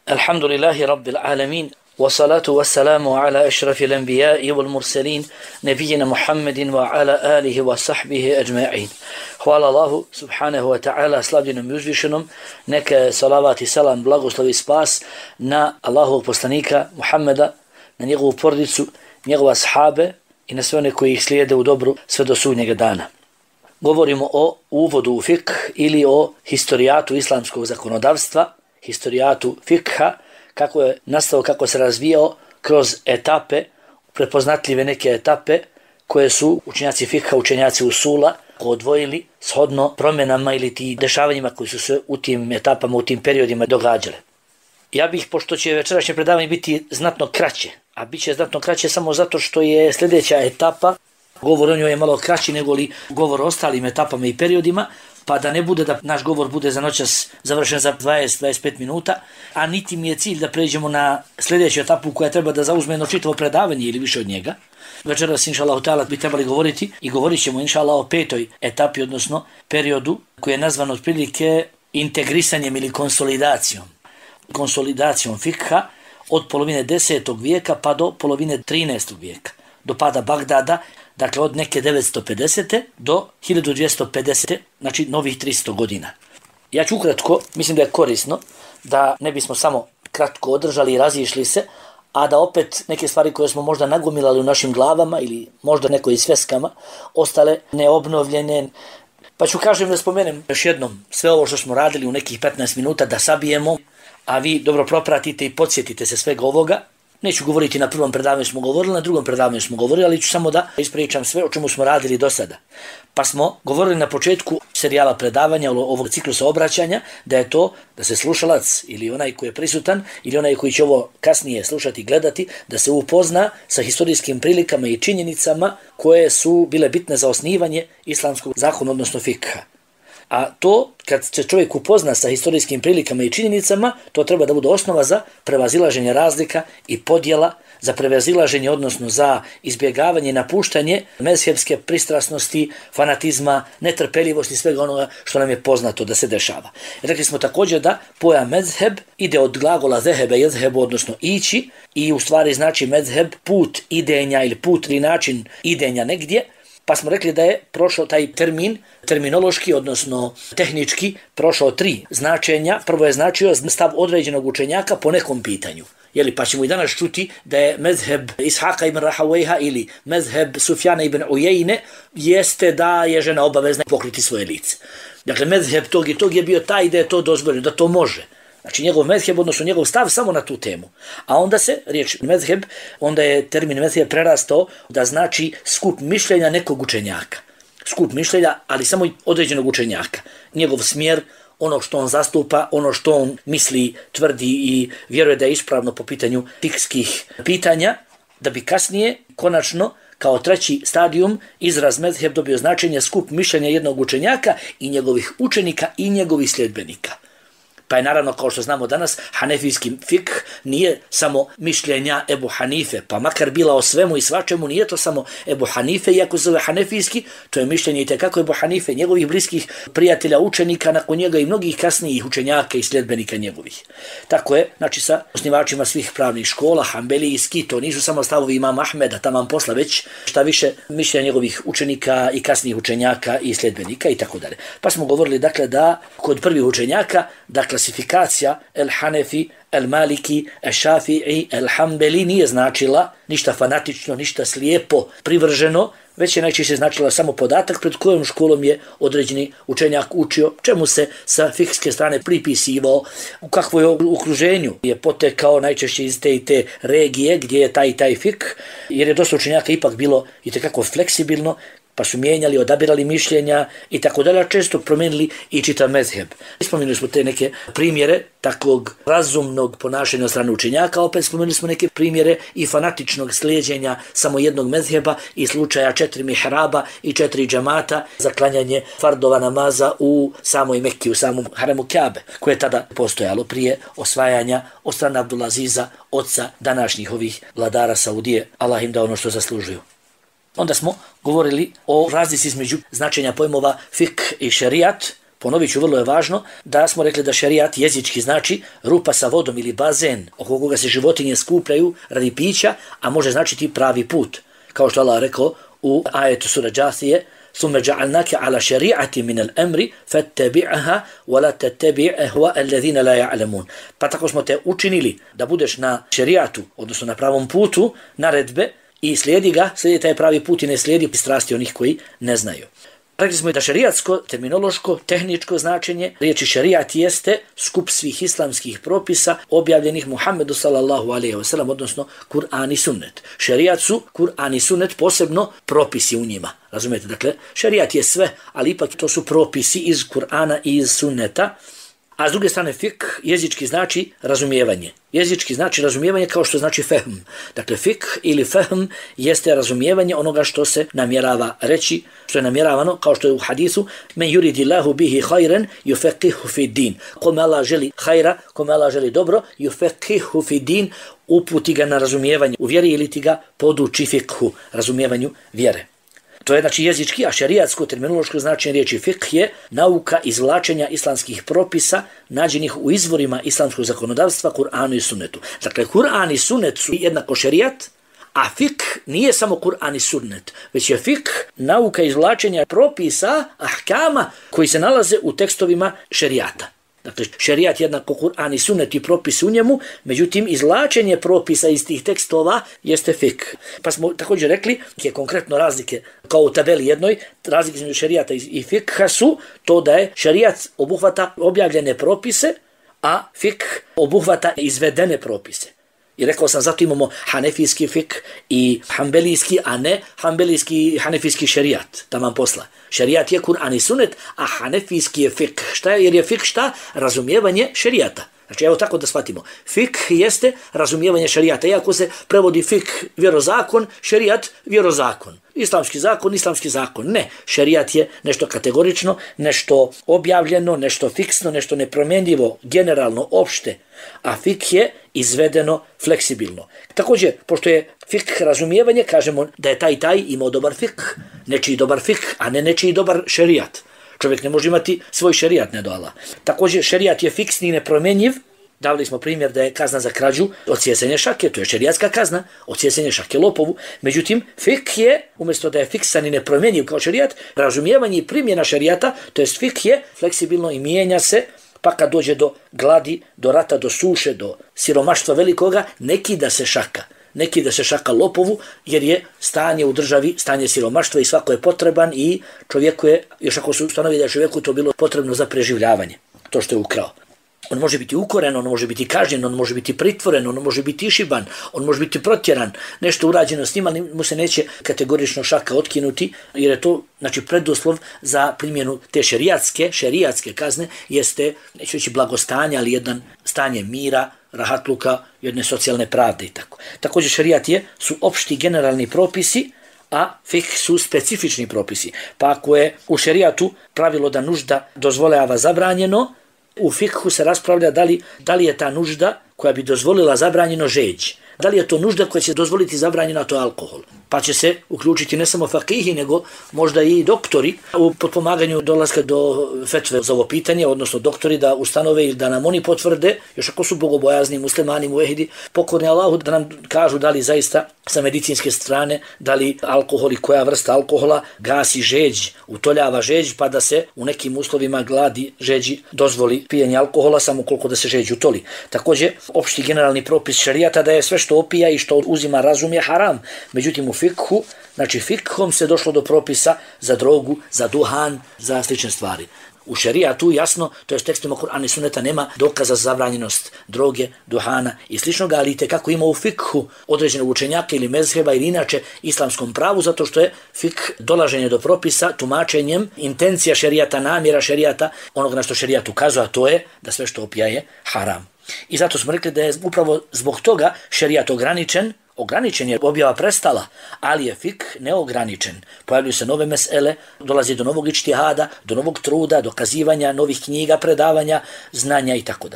Alhamdulillahi Rabbil Alamin. والصلاة والسلام على أشرف الأنبياء والمرسلين نبينا محمد وعلى آله وصحبه أجمعين. Hvala Allahu subhanahu wa ta'ala, slavljenom i uzvišenom, neka salavat i salam, blagoslov i spas na Allahovog poslanika Muhammeda, na njegovu porodicu, njegove ashabe i na sve one koji ih slijede u dobru sve do sudnjega dana. Govorimo o uvodu u fikh ili o historijatu islamskog zakonodavstva, historijatu fikha, kako je nastao, kako se razvijao kroz etape, prepoznatljive neke etape koje su učenjaci fikha, učenjaci usula odvojili shodno promjenama ili ti dešavanjima koji su se u tim etapama, u tim periodima događale. Ja bih, pošto će večerašnje predavanje biti znatno kraće, a bit će znatno kraće samo zato što je sljedeća etapa, govor o njoj je malo kraći nego li govor o ostalim etapama i periodima, pa da ne bude da naš govor bude za noćas završen za 20-25 minuta, a niti mi je cilj da pređemo na sljedeću etapu koja treba da zauzme jedno čitavo predavanje ili više od njega. Večeras, inša Allah, bi trebali govoriti i govorit ćemo, inša Allah, o petoj etapi, odnosno periodu koji je nazvan otprilike integrisanjem ili konsolidacijom. Konsolidacijom fikha od polovine 10. vijeka pa do polovine 13. vijeka, do pada Bagdada, dakle od neke 950. do 1250. znači novih 300 godina. Ja ću ukratko, mislim da je korisno da ne bismo samo kratko održali i razišli se, a da opet neke stvari koje smo možda nagomilali u našim glavama ili možda nekoj sveskama ostale neobnovljene. Pa ću da spomenem još jednom sve ovo što smo radili u nekih 15 minuta da sabijemo, a vi dobro propratite i podsjetite se svega ovoga. Neću govoriti na prvom predavanju smo govorili, na drugom predavanju smo govorili, ali ću samo da ispričam sve o čemu smo radili do sada. Pa smo govorili na početku serijala predavanja ovog ciklusa obraćanja da je to da se slušalac ili onaj koji je prisutan ili onaj koji će ovo kasnije slušati i gledati, da se upozna sa historijskim prilikama i činjenicama koje su bile bitne za osnivanje islamskog zakona, odnosno fikha. A to, kad se čovjek upozna sa historijskim prilikama i činjenicama, to treba da bude osnova za prevazilaženje razlika i podjela, za prevazilaženje, odnosno za izbjegavanje i napuštanje mezhebske pristrasnosti, fanatizma, netrpeljivosti, svega onoga što nam je poznato da se dešava. Rekli smo također da pojam mezheb ide od glagola zehebe, jezhebu, odnosno ići, i u stvari znači mezheb put idenja ili put ili način idenja negdje. Pa smo rekli da je prošao taj terminološki, odnosno tehnički, prošao 3 značenja. Prvo je značio stav određenog učenjaka po nekom pitanju. Pa ćemo i danas čuti da je mezheb Ishaqa ibn Rahawayha ili mezheb Sufjana ibn Ujejne jeste da je žena obavezna pokriti svoje lice. Dakle, mezheb tog i tog je bio taj da je to dozvoljeno, da to može. Znači njegov mezheb, odnosno njegov stav samo na tu temu. A onda se riječ mezheb, onda je termin mezheb prerastao da znači skup mišljenja nekog učenjaka. Skup mišljenja, ali samo određenog učenjaka. Njegov smjer, ono što on zastupa, ono što on misli, tvrdi i vjeruje da je ispravno po pitanju fikskih pitanja, da bi kasnije, konačno, kao treći stadijum, izraz mezheb dobio značenje skup mišljenja jednog učenjaka i njegovih učenika i njegovih sljedbenika. Pa je naravno, kao što znamo danas, hanefijski fikh nije samo mišljenja Ebu Hanife, pa makar bila o svemu i svačemu, nije to samo Ebu Hanife, iako se zove hanefijski, to je mišljenje i tekako Ebu Hanife, njegovih bliskih prijatelja, učenika, nakon njega i mnogih kasnijih učenjaka i sljedbenika njegovih. Tako je, znači sa osnivačima svih pravnih škola, hanbelijski, to nisu samo stavovi imama Ahmeda, taman posla, već šta više mišljenja njegovih učenika i kasnijih učenjaka i sljedbenika i tako dalje. Pa smo govorili dakle da kod prvih učenjaka da klasifikacija El Hanefi, El Maliki, El Šafi'i, El Hanbeli nije značila ništa fanatično, ništa slijepo, privrženo, već je najčešće značila samo podatak pred kojom školom je određeni učenjak učio, čemu se sa fikske strane pripisivao, u kakvoj okruženju je potekao najčešće iz te i te regije gdje je taj fikh, jer je dosta učenjaka ipak bilo itekako fleksibilno, pa su mijenjali, odabirali mišljenja i tako dalje, često promijenili i čitav mezheb. Spomenuli smo te neke primjere takvog razumnog ponašanja od strane učenjaka, opet spomenuli smo neke primjere i fanatičnog slijeđenja samo jednog mezheba i slučaja 4 mihraba i 4 džamata za klanjanje fardova namaza u samoj Mekki, u samom haremu Kjabe, koje je tada postojalo prije osvajanja od strane Abdulaziza, oca današnjih ovih vladara Saudije. Allah im da ono što zaslužuju. Onda smo govorili o razlici između značenja pojmova fikh i šerijat, Ponovit ću, vrlo je važno da smo rekli da šerijat jezički znači rupa sa vodom ili bazen oko koga se životinje skupljaju radi pića, a može značiti pravi put. Kao što Allah rekao u ajetu sura Džathije, ثم جعلناك على شريعة من الأمر فاتبعها ولا تتبع أهواء الذين لا يعلمون. Pa tako smo te učinili da budeš na šerijatu, odnosno na pravom putu, naredbe, i slijedi taj pravi put i ne slijedi strasti onih koji ne znaju. Rekli smo da šerijatsko, terminološko, tehničko značenje riječi šerijat jeste skup svih islamskih propisa objavljenih Muhammedu sallallahu alejhi ve sellem, odnosno Kur'an i sunnet. Šerijat su Kur'an i sunnet, posebno propisi u njima. Razumijete? Dakle, šerijat je sve, ali ipak to su propisi iz Kur'ana i iz sunneta. A s druge strane, fik jezički znači razumijevanje. Jezički znači razumijevanje kao što znači fehm. Dakle, fik ili fehm jeste razumijevanje onoga što se namjerava reći, što je namjeravano, kao što je u hadisu: men yuridillahu bihi khayran yufaqihu fi din. Kome Allah želi hajra, kome Allah želi dobro, yufaqihu fi din, uputi ga na razumijevanje u vjeri ili ti ga poduči fikhu, razumijevanju vjere. To je znači jezički, a šerijatsko terminološko značenje riječi fiqh je nauka izvlačenja islamskih propisa nađenih u izvorima islamskog zakonodavstva, Kur'anu i sunnetu. Dakle, Kur'an i sunnet su jednako šerijat, a fiqh nije samo Kur'an i sunnet, već je fiqh nauka izvlačenja propisa, ahkama, koji se nalaze u tekstovima šerijata. Dakle, šerijat jednako Kur'an i sunnet i propisi u njemu, međutim, izvlačenje propisa iz tih tekstova jeste fik. Pa smo također rekli, je konkretno razlike, kao u tabeli jednoj, razlike između šerijata i fikha su to da je šerijat obuhvata objavljene propise, a fik obuhvata izvedene propise. I rekao sam, zato imamo hanefijski fik i hanbelijski, a ne hanbelijski i hanefijski šerijat, taman posla. Šerijat je Kur'an i sunnet, a hanefijski je fik. Šta je? Jer je fik šta? Razumijevanje šerijata. Znači, evo tako da shvatimo. Fik jeste razumijevanje šerijata. Iako se prevodi fik vjerozakon, šerijat vjerozakon. Islamski zakon. Ne, šerijat je nešto kategorično, nešto objavljeno, nešto fiksno, nešto nepromjenjivo, generalno, opšte. A fik je izvedeno fleksibilno. Također, pošto je fik razumijevanje, kažemo da je taj imao dobar fik, nečiji dobar fik, a ne nečiji dobar šerijat. Čovjek ne može imati svoj šerijat, ne do Allah. Također, šerijat je fiksni i nepromjenjiv. Davali smo primjer da je kazna za krađu odsjecanje šake, to je šerijatska kazna, odsjecanje šake lopovu. Međutim, fik je, umjesto da je fiksan i nepromjenjiv kao šerijat, razumijevanje i primjena šerijata, to jest fik je fleksibilno i mijenja se, pa kad dođe do gladi, do rata, do suše, do siromaštva velikoga, neki da se šaka lopovu, jer je stanje u državi, stanje siromaštva i svako je potreban i čovjeku je, još ako su ustanovi da je čovjeku to bilo potrebno za preživljavanje, to što je ukrao. On može biti ukoren, on može biti kažnjen, on može biti pritvoren, on može biti išiban, on može biti protjeran, nešto urađeno s njim, ali mu se neće kategorično šaka otkinuti, jer je to, znači, preduslov za primjenu te šerijatske kazne jeste, neću reći blagostanje, ali jedan stanje mira, rahatluka, jedne socijalne pravde i tako. Također šerijat su opšti generalni propisi, a fik su specifični propisi. Pa ako je u šerijatu pravilo da nužda dozvoljava zabranjeno, u fikhu se raspravlja da li je ta nužda koja bi dozvolila zabranjeno žeđ. Da li je to nužda koja će dozvoliti zabranjeno, a to je alkohol. Pa će se uključiti ne samo fakihi, nego možda i doktori u potpomaganju dolaska do fetve za ovo pitanje, odnosno doktori da ustanove ili da nam oni potvrde, još ako su bogobojazni, muslimani, muvehidi, pokorni Allahu, da nam kažu da li zaista sa medicinske strane, da li alkohol i koja vrsta alkohola gasi žeđ, utoljava žeđ, pa da se u nekim uslovima gladi žeđi dozvoli pijenje alkohola samo koliko da se žeđ utoli. Također, opšti generalni propis šerijata da je sve što opija i što uzima razum je haram. Međutim, u fikhu, znači fikhom se došlo do propisa za drogu, za duhan, za slične stvari. U šerijatu jasno, to je s tekstima Kur'ana i sunneta, nema dokaza za zabranjenost droge, duhana i sličnoga, ali kako ima u fikhu određene učenjake ili mezheba ili inače islamskom pravu, zato što je fik dolaženje do propisa tumačenjem intencija šerijata, namjera šerijata, onoga na što šerijat ukazuje, a to je da sve što opija je haram. I zato smo rekli da je upravo zbog toga šerijat ograničen je, objava prestala, ali je fik neograničen. Pojavljuju se nove mesele, dolazi do novog ičtihada, do novog truda, dokazivanja, novih knjiga, predavanja, znanja itd.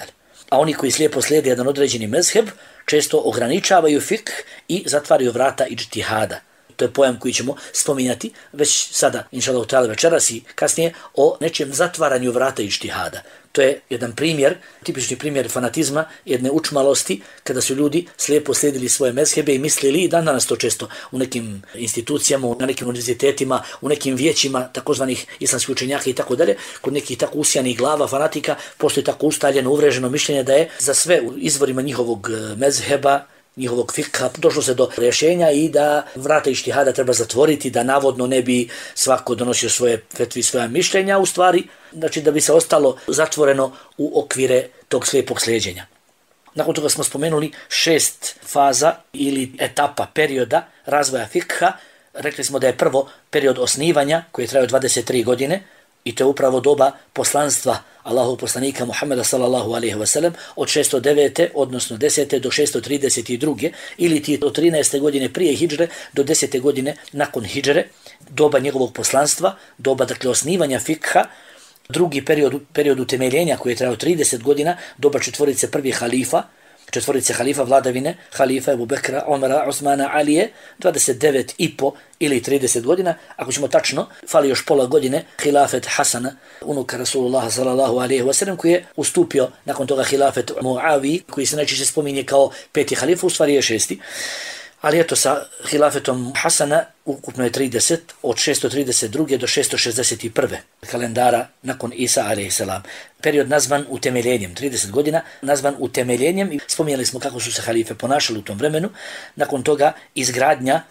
A oni koji slijepo slijede jedan određeni mezheb, često ograničavaju fik i zatvaraju vrata ičtihada. to je pojam koji ćemo spominjati već sada, inšallahu ta'ala večeras i kasnije, o nečem zatvaranju vrata ištihada. To je jedan primjer, tipični primjer fanatizma, jedne učmalosti, kada su ljudi slijepo slijedili svoje mezhebe i mislili, i dan danas to često u nekim institucijama, na nekim univerzitetima, u nekim vijećima takozvanih islamskih učenjaka i tako dalje, kod nekih tako usijanih glava fanatika, postoji tako ustaljeno, uvreženo mišljenje da je za sve u izvorima njihovog mezheba, njihovog fikha, došlo se do rješenja i da vrata ištihada treba zatvoriti, da navodno ne bi svako donosio svoje fetve i svoja mišljenja, u stvari, znači da bi se ostalo zatvoreno u okvire tog slijepog slijeđenja. Nakon toga smo spomenuli 6 faza ili etapa, perioda razvoja fikha. Rekli smo da je prvo period osnivanja koji je trajao 23 godine, i to je upravo doba poslanstva Allahovog poslanika Muhammeda sallallahu alejhi ve sellem od 609. odnosno 10. do 632. ili ti od 13. godine prije hidžre do 10. godine nakon hidžre, doba njegovog poslanstva, doba dakle osnivanja fikha. Drugi period utemeljenja koji je trajao 30 godina, doba četvorice halifa vladavine, halifa Ebu Bekra, Omara, Osmana, Alije, 29,5 ili 30 godina. Ako ćemo tačno, fali još pola godine hilafet Hasana, unuka Rasulullaha sallallahu alejhi ve sellem, koji je ustupio nakon toga hilafet Muavi, koji se najčešće spominje kao 5. halifa, u stvari je 6. Ali eto, sa hilafetom Hasana ukupno je 30, od 632. do 661. kalendara nakon Isa a.s. Period nazvan utemeljenjem, 30 godina, nazvan utemeljenjem, i spominjali smo kako su se halife ponašali u tom vremenu. Nakon toga izgradnja,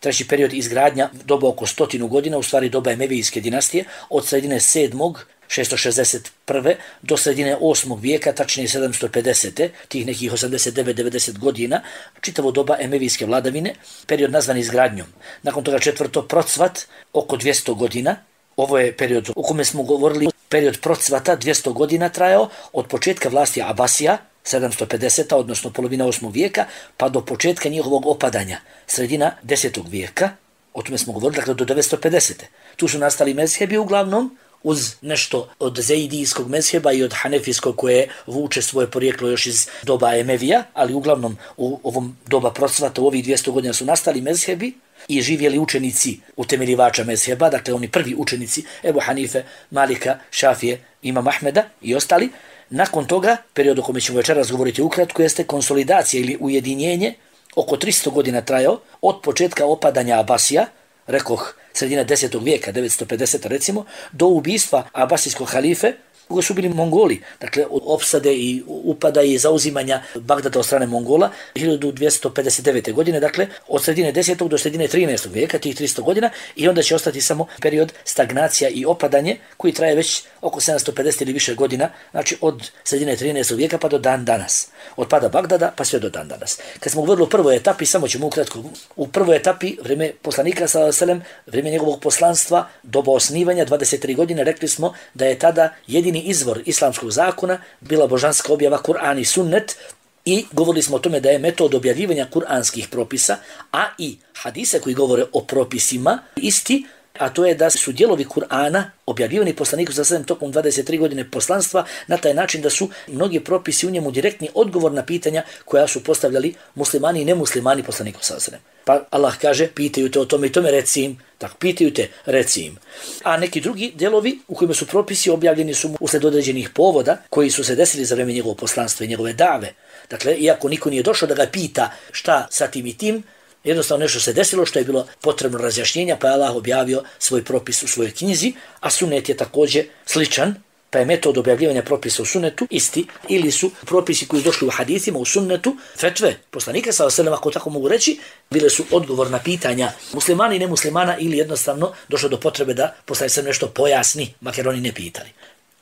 treći period izgradnja, doba oko 100 godina, u stvari doba Emevijske dinastije, od sredine 7. 661. do sredine 8. vijeka, tačnije 750. tih nekih 89-90 godina, čitavo doba Emevijske vladavine, period nazvan izgradnjom. Nakon toga 4. procvat, oko 200 godina. Ovo je period o kome smo govorili, period procvata 200 godina trajao od početka vlasti Abasija, 750. odnosno polovina 8. vijeka, pa do početka njihovog opadanja, sredina 10. vijeka, o tome smo govorili, dakle do 950. Tu su nastali mezhebi uglavnom, uz nešto od zeidijskog mezheba i od hanefijskog koje vuče svoje porijeklo još iz doba Emevija, ali uglavnom u ovom doba procvata, u ovih 200 godina su nastali mezhebi i živjeli učenici utemeljivača mezheba, dakle oni prvi učenici Ebu Hanife, Malika, Šafije, Imam Ahmeda i ostali. Nakon toga, period o kome ćemo večeras govoriti ukratko, jeste konsolidacija ili ujedinjenje, oko 300 godina trajao, od početka opadanja Abasija, rekoh sredina 10. vijeka, 950 recimo, do ubistva abasijskog halife, koji su bili Mongoli, dakle od opsade i upada i zauzimanja Bagdada od strane Mongola 1259. godine, dakle od sredine 10. do sredine 13. vijeka, tih 300 godina, i onda će ostati samo period stagnacija i opadanje koji traje već oko 750 ili više godina, znači od sredine 13. vijeka pa do dan danas. Od pada Bagdada pa sve do dan danas. Kad smo govorili o prvoj etapi, samo ćemo ukratko, u prvoj etapi, vrijeme poslanika sallallahu alejhi ve sellem, vrijeme njegovog poslanstva, doba osnivanja 23 godine, rekli smo da je tada jedini izvor islamskog zakona bila božanska objava Kur'an i sunnet, i govorili smo o tome da je metod objavljivanja kuranskih propisa, a i hadise koji govore o propisima isti, a to je da su dijelovi Kur'ana objavljivani poslaniku sallallahu alejhi ve sellem tokom 23 godine poslanstva na taj način da su mnogi propisi u njemu direktni odgovor na pitanja koja su postavljali muslimani i nemuslimani poslaniku sallallahu alejhi ve sellem. Pa Allah kaže, pitaju te o tome i tome, reci im. Tako, pitaju te, reci im. A neki drugi delovi u kojima su propisi objavljeni su usled određenih povoda koji su se desili za vrijeme njegovog poslanstva i njegove dave. Dakle, iako niko nije došao da ga pita šta sa tim i tim, jednostavno nešto se desilo što je bilo potrebno razjašnjenja, pa je Allah objavio svoj propis u svojoj knjizi, a sunnet je također sličan, pa je metod objavljivanja propisa u sunnetu isti, ili su propisi koji došli u hadithima u sunnetu, fetve poslanika sallallahu alejhi ve sellem, ako tako mogu reći, bile su odgovor na pitanja muslimana i nemuslimana, ili jednostavno došlo do potrebe da poslanik se nešto pojasni, makar oni ne pitali.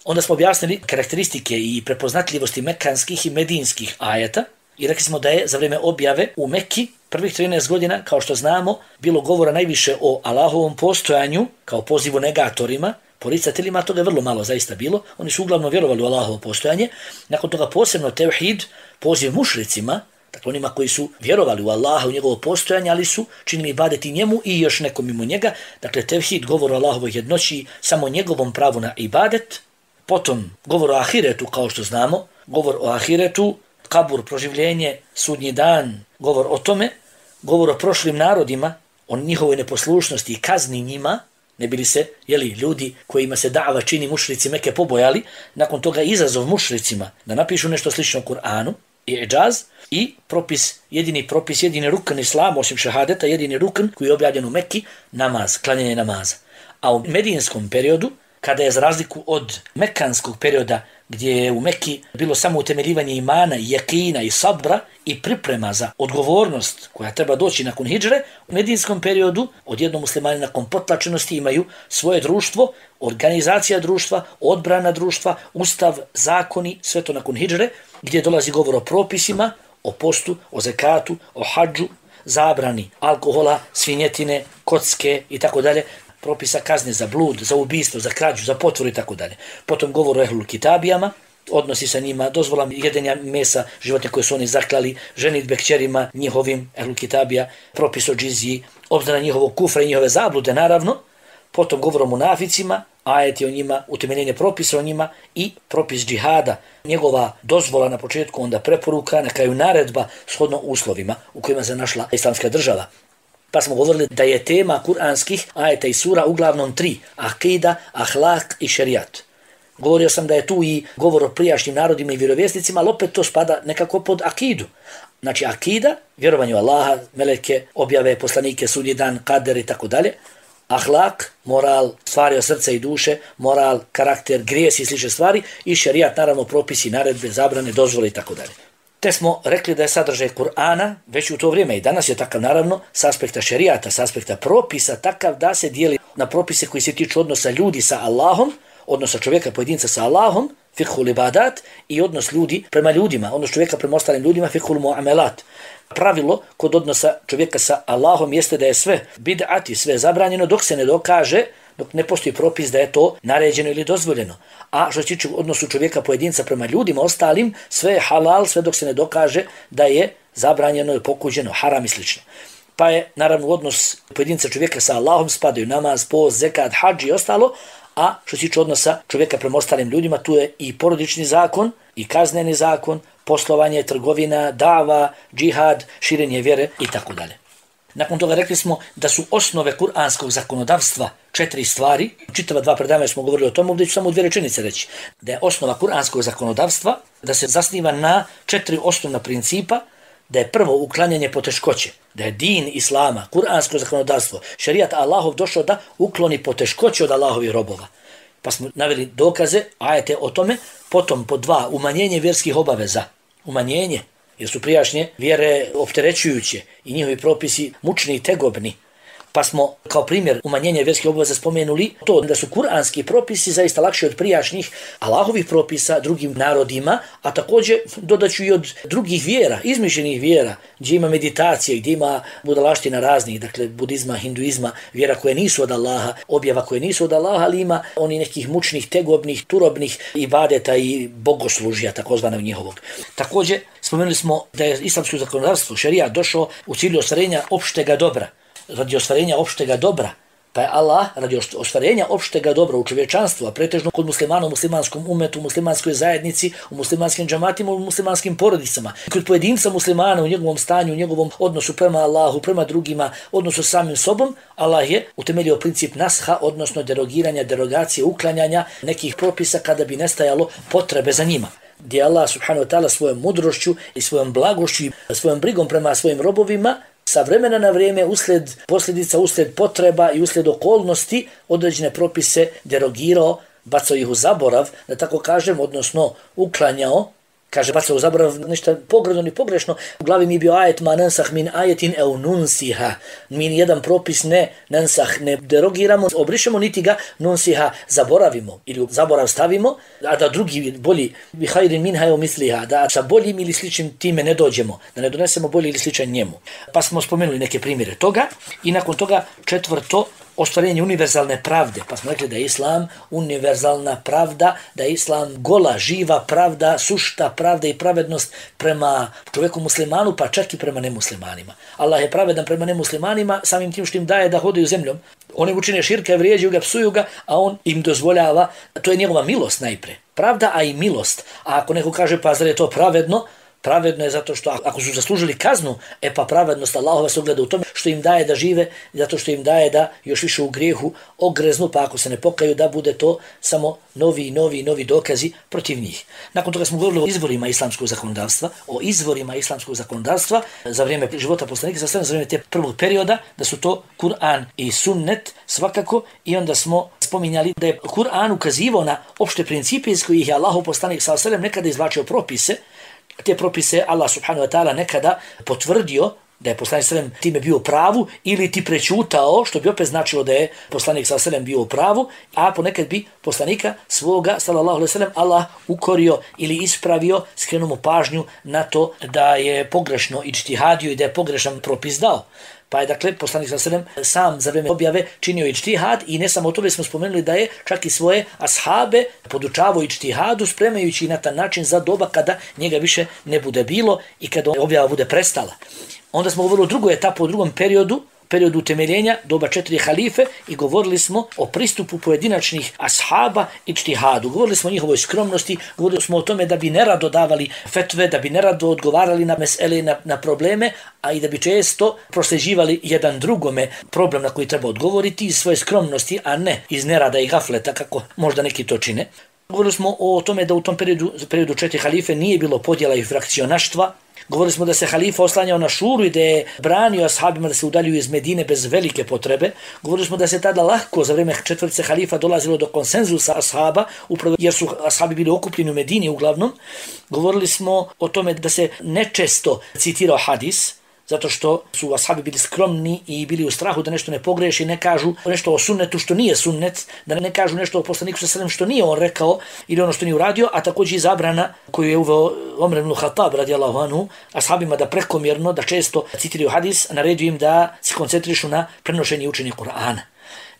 Onda smo objasnili karakteristike i prepoznatljivosti mekanskih i medinskih ajeta i rekli smo da je za vrijeme objave u Mekki prvih 13 godina, kao što znamo, bilo govora najviše o Allahovom postojanju kao pozivu negatorima, poricateljima, toga je vrlo malo zaista bilo. Oni su uglavnom vjerovali u Allahovo postojanje. Nakon toga posebno tevhid, poziv mušricima, dakle onima koji su vjerovali u Allaha, u njegovo postojanje, ali su činili ibadeti njemu i još nekom mimo njega. Dakle, tevhid, govor o Allahovoj jednoći, samo njegovom pravu na ibadet. Potom govor o ahiretu, kao što znamo, govor o ahiretu, kabur, proživljenje, sudnji dan, govor o tome, govor o prošlim narodima, o njihovoj neposlušnosti i kazni njima, ne bili se, ljudi kojima se dava čini mušrici Mekke pobojali, nakon toga izazov mušricima da napišu nešto slično Kur'anu, i'džaz i jedini rukn islama, osim šahadeta, jedini rukn koji je objavljen u Mekki, namaz, klanjanje namaza. A u medijinskom periodu, kada je za razliku od mekanskog perioda, gdje je u Mekki bilo samo utemeljivanje imana, jakina i sabra i priprema za odgovornost koja treba doći nakon hidžre, u medijinskom periodu odjednom muslimani nakon potlačenosti imaju svoje društvo, organizacija društva, odbrana društva, ustav, zakoni, sve to nakon hidžre, gdje dolazi govor o propisima, o postu, o zekatu, o hadžu, zabrani alkohola, svinjetine, kocke i tako dalje, propisa kazne za blud, za ubistvo, za krađu, za potvoru i tako dalje. Potom govor o ehlul kitabijama, odnosi sa njima, dozvola jedenja mesa, životinja koje su oni zaklali, ženitbe kćerima njihovim ehlul kitabija, propis o džiziji, obzira njihovog kufra i njihove zablude, naravno. Potom govor o munaficima, ajeti o njima, utemeljenje propisa o njima i propis džihada, njegova dozvola na početku, onda preporuka, na kraju naredba shodno uslovima u kojima se našla islamska država. Pa smo govorili da je tema kuranskih ajeta i sura uglavnom 3, akida, ahlak i šerijat. Govorio sam da je tu i govor o prijašnjim narodima i vjerovjesnicima, ali opet to spada nekako pod akidu. Znači akida, vjerovanje u Allaha, meleke, objave, poslanike, sudnji dan, kader i tako dalje. Ahlak, moral, stvari od srca i duše, moral, karakter, grijesi i slične stvari i šerijat, naravno propisi, naredbe, zabrane, dozvole i tako dalje. Te smo rekli da je sadržaj Kur'ana već u to vrijeme i danas je takav naravno s aspekta šerijata, s aspekta propisa takav da se dijeli na propise koji se tiču odnosa ljudi sa Allahom, odnosa čovjeka pojedinca sa Allahom, fiqhul ibadat i odnos ljudi prema ljudima, odnos čovjeka prema ostalim ljudima, fiqhul muamelat. Pravilo kod odnosa čovjeka sa Allahom jeste da je sve bid'at i sve zabranjeno dok se ne dokaže, dok ne postoji propis da je to naređeno ili dozvoljeno. A što se tiče odnosu čovjeka pojedinca prema ljudima ostalim, sve je halal, sve dok se ne dokaže da je zabranjeno ili pokuđeno, haram i slično. Pa je naravno odnos pojedinca čovjeka sa Allahom spadaju namaz, post, zekat, hadž i ostalo, a što se tiče odnosa čovjeka prema ostalim ljudima, tu je i porodični zakon, i kazneni zakon, poslovanje, trgovina, dava, džihad, širenje vjere i tako dalje. Nakon toga rekli smo da su osnove kuranskog zakonodavstva 4 stvari. Čitava 2 predavanja smo govorili o tomu, ovdje ću samo 2 rečenice reći. Da je osnova kuranskog zakonodavstva, da se zasniva na 4 osnovna principa, da je prvo uklanjanje poteškoće, da je din islama, kuransko zakonodavstvo, šerijat Allahov došao da ukloni poteškoće od Allahovih robova. Pa smo naveli dokaze, ajete o tome, potom po 2, umanjenje vjerskih obaveza, umanjenje, jer su prijašnje vjere opterećujuće i njihovi propisi mučni i tegobni. Pa smo kao primjer umanjenja vjerskih obaveza spomenuli to da su kuranski propisi zaista lakši od prijašnjih Allahovih propisa drugim narodima, a također dodaću i od drugih vjera, izmišljenih vjera, gdje ima meditacije, gdje ima budalaština raznih, dakle budizma, hinduizma, vjera koje nisu od Allaha, objava koje nisu od Allaha, ali ima oni nekih mučnih, tegobnih, turobnih ibadeta i bogoslužja, takozvanog njihovog. Također spomenuli smo da je islamsko zakonodavstvo, šerijat, došao u cilju ostvarenja opštega dobra, radi ostvarenja opštega dobra, pa je Allah radi ostvarenja opštega dobra u čovječanstvu, a pretežno kod muslimana u muslimanskom umetu, u muslimanskoj zajednici, u muslimanskim džamatima, u muslimanskim porodicama. Kod pojedinca muslimana u njegovom stanju, u njegovom odnosu prema Allahu, prema drugima, odnosu s samim sobom, Allah je utemeljio princip nasha, odnosno derogiranja, derogacije, uklanjanja nekih propisa kada bi nestajalo potrebe za njima. Gdje Allah subhanahu wa ta'ala svojom mudrošću i svojom blagošću i svojom brigom prema svojim robovima sa vremena na vrijeme uslijed posljedica, uslijed potreba i uslijed okolnosti određene propise derogirao, bacao ih u zaborav, da tako kažem, odnosno uklanjao, kaže bacao u zaborav nešto pogredno ni pogrešno. U glavi mi je bio ajet ma nansah min ajetin eu nunsiha. Mi nijedan propis ne nansah, ne derogiramo, obrišemo niti ga nunsiha zaboravimo ili u zaborav stavimo, a da drugi bolji bi hajrin minha eu misliha, da sa boljim ili sličnim time ne dođemo, da ne donesemo bolji ili sličan njemu. Pa smo spomenuli neke primjere toga i nakon toga 4. ostvarenje univerzalne pravde, pa smo rekli da je Islam univerzalna pravda, da je Islam gola, živa pravda, sušta pravda i pravednost prema čovjeku muslimanu, pa čak i prema nemuslimanima. Allah je pravedan prema nemuslimanima samim tim što im daje da hodaju zemljom. Oni učine širka, vrijeđuju ga, psuju ga, a on im dozvoljava, to je njegova milost najpre. Pravda, a i milost. A ako neko kaže pa zar je to pravedno, Pravedno je zato što ako su zaslužili kaznu, pa pravednost Allahova se ogleda u tome što im daje da žive, zato što im daje da još više u grijehu ogreznu, pa ako se ne pokaju da bude to samo novi dokazi protiv njih. Nakon toga smo govorili o izvorima islamskog zakonodavstva za vrijeme života poslanika sa za vrijeme te prvog perioda, da su to Kur'an i sunnet svakako, i onda smo spominjali da je Kur'an ukazivao na opšte principe iz kojih je Allahov poslanik sallallahu alejhi ve sellem nekada izvlačio propise. Te propise Allah subhanahu wa ta'ala nekada potvrdio da je poslanik sallallahu alejhi ve sellem time bio u pravu ili ti prećutao, što bi opet značilo da je poslanik sallallahu alejhi ve sellem bio u pravu, a ponekad bi poslanika svoga sallallahu alejhi ve sellem Allah ukorio ili ispravio, skrenuo mu pažnju na to da je pogrešno idžtihadio i da je pogrešan propis dao. Pa je dakle poslanik sallallahu alejhi ve sellem sam za vrijeme objave činio idžtihad, i ne samo to, već smo spomenuli da je čak i svoje ashabe podučavao idžtihadu, spremajući na taj način za doba kada njega više ne bude bilo i kada objava bude prestala. Onda smo govorili o drugoj etapi, o drugom periodu utemeljenja, doba 4 halife, i govorili smo o pristupu pojedinačnih ashaba idžtihadu. Govorili smo o njihovoj skromnosti, govorili smo o tome da bi nerado davali fetve, da bi nerado odgovarali na mesele, na probleme, a i da bi često prosljeđivali jedan drugome problem na koji treba odgovoriti iz svoje skromnosti, a ne iz nerada i gafleta, kako možda neki to čine. Govorili smo o tome da u tom periodu 4 halife nije bilo podjela i frakcionaštva. Govorili smo da se halifa oslanjao na šuru i da je branio ashabima da se udaljuju iz Medine bez velike potrebe. Govorili smo da se tada lahko za vrijeme četvrtice halifa dolazilo do konsenzusa ashaba, upravo jer su ashabi bili okupljeni u Medini uglavnom. Govorili smo o tome da se nečesto citirao hadis, zato što su ashabi bili skromni i bili u strahu da nešto ne pogreši, ne kažu nešto o sunnetu što nije sunnet, da ne kažu nešto o poslaniku sallallahu alejhi ve sellem što nije on rekao ili ono što nije uradio, a također i zabrana koju je uveo Omer ibn Khattab radijallahu anhu ashabima da prekomjerno, da često citiraju hadis, naredio im da se koncentrišu na prenošenje i učenje Kur'ana.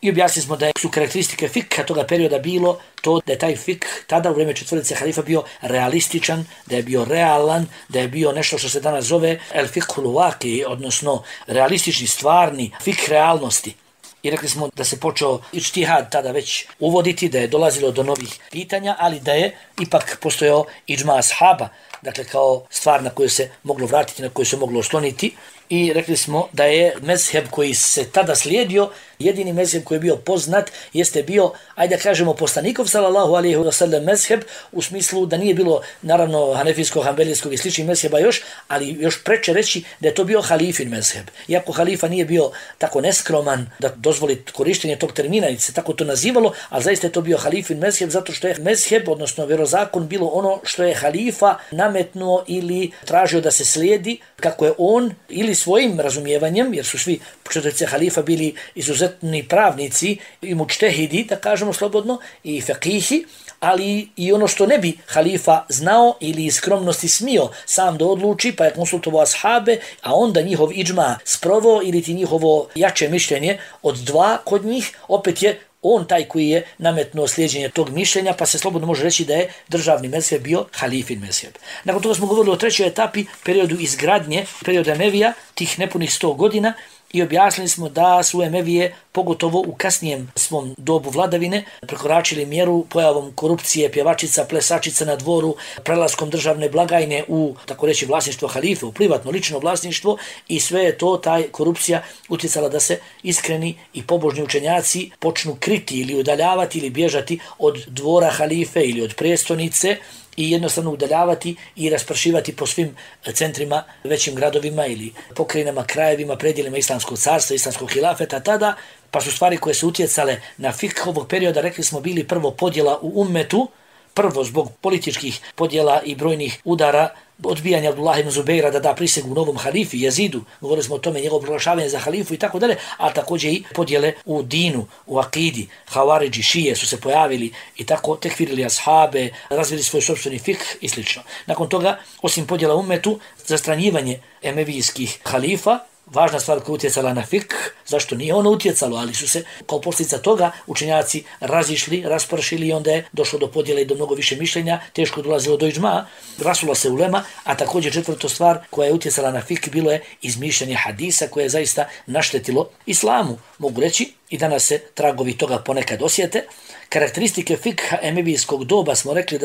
I objasnili smo da su karakteristike fikha toga perioda bilo to da je taj fikh tada u vrijeme četvrtice halifa bio realističan, da je bio realan, da je bio nešto što se danas zove el fikhul waqi, odnosno realistični, stvarni fikh realnosti. I rekli smo da se počeo idžtihad tada već uvoditi, da je dolazilo do novih pitanja, ali da je ipak postojao idžma ashaba, dakle kao stvar na koju se moglo vratiti, na koju se moglo osloniti. I rekli smo da je mezheb koji se tada slijedio, jedini mezheb koji je bio poznat, jeste bio, ajde da kažemo, poslanikov sallallahu alejhi ve sellem mezheb, u smislu da nije bilo naravno hanefijskog, hanbelijskog i sličnih mezheba još, ali još preče reći da je to bio halifin mezheb. Iako halifa nije bio tako neskroman da dozvoli korištenje tog termina, i se tako to nazivalo, ali zaista je to bio halifin mezheb, zato što je mezheb, odnosno vjerozakon, bilo ono što je halifa nametnuo ili tražio da se slijedi, kako je on ili svojim razumijevanjem, jer su svi četvrtice halifa bili izuzetni pravnici i mučtehidi, da kažemo slobodno, i fekihi, ali i ono što ne bi halifa znao ili iz skromnosti smio sam da odluči, pa je konsultovao ashabe, a onda njihov idžma sprovao ili ti njihovo jače mišljenje od dva kod njih, opet je on taj koji je nametnuo slijeđenje tog mišljenja, pa se slobodno može reći da je državni mezheb bio halifin mezheb. Nakon toga smo govorili o trećoj etapi, periodu izgradnje, periodu Emevija, tih nepunih 100 godina, i objasnili smo da su Emevije, pogotovo u kasnijem svom dobu vladavine, prekoračili mjeru pojavom korupcije, pjevačica, plesačica na dvoru, prelaskom državne blagajne u, tako reći, vlasništvo halife, u privatno, lično vlasništvo, i sve je to, taj korupcija utjecala da se iskreni i pobožni učenjaci počnu kriti ili udaljavati ili bježati od dvora halife ili od prijestolnice, i jednostavno udaljavati i raspršivati po svim centrima, većim gradovima ili pokrajinama, krajevima, predjelima islamskog carstva, islamskog hilafeta tada, pa su stvari koje su utjecale na fikh ovog perioda, rekli smo, bili prvo podjela u ummetu, prvo zbog političkih podjela i brojnih udara, odbijanja Abdullah ibn Zubeira da da prisegu novom halifi Jezidu, govorili smo o tome, njegovo proglašavanje za halifu i tako dalje, a također i podjele u dinu, u akidi, Hawaridži, šije su se pojavili i tako tekfirili ashabe, razvili svoj sopstveni fikh i sl. Nakon toga, osim podjela ummetu, zastranjivanje emevijskih halifa, važna stvar koja utjecala na fikh, zašto nije ono utjecalo, ali su se kao posljedica toga učenjaci razišli, raspršili, i onda je došlo do podjele i do mnogo više mišljenja, teško dolazilo do iđma, rasula se ulema, a također četvrta stvar koja je utjecala na fikh bilo je izmišljanje hadisa koje je zaista naštetilo islamu. mogu reći, i danas se tragovi toga ponekad osjete. Karakteristike fikha emevijskog doba smo rekli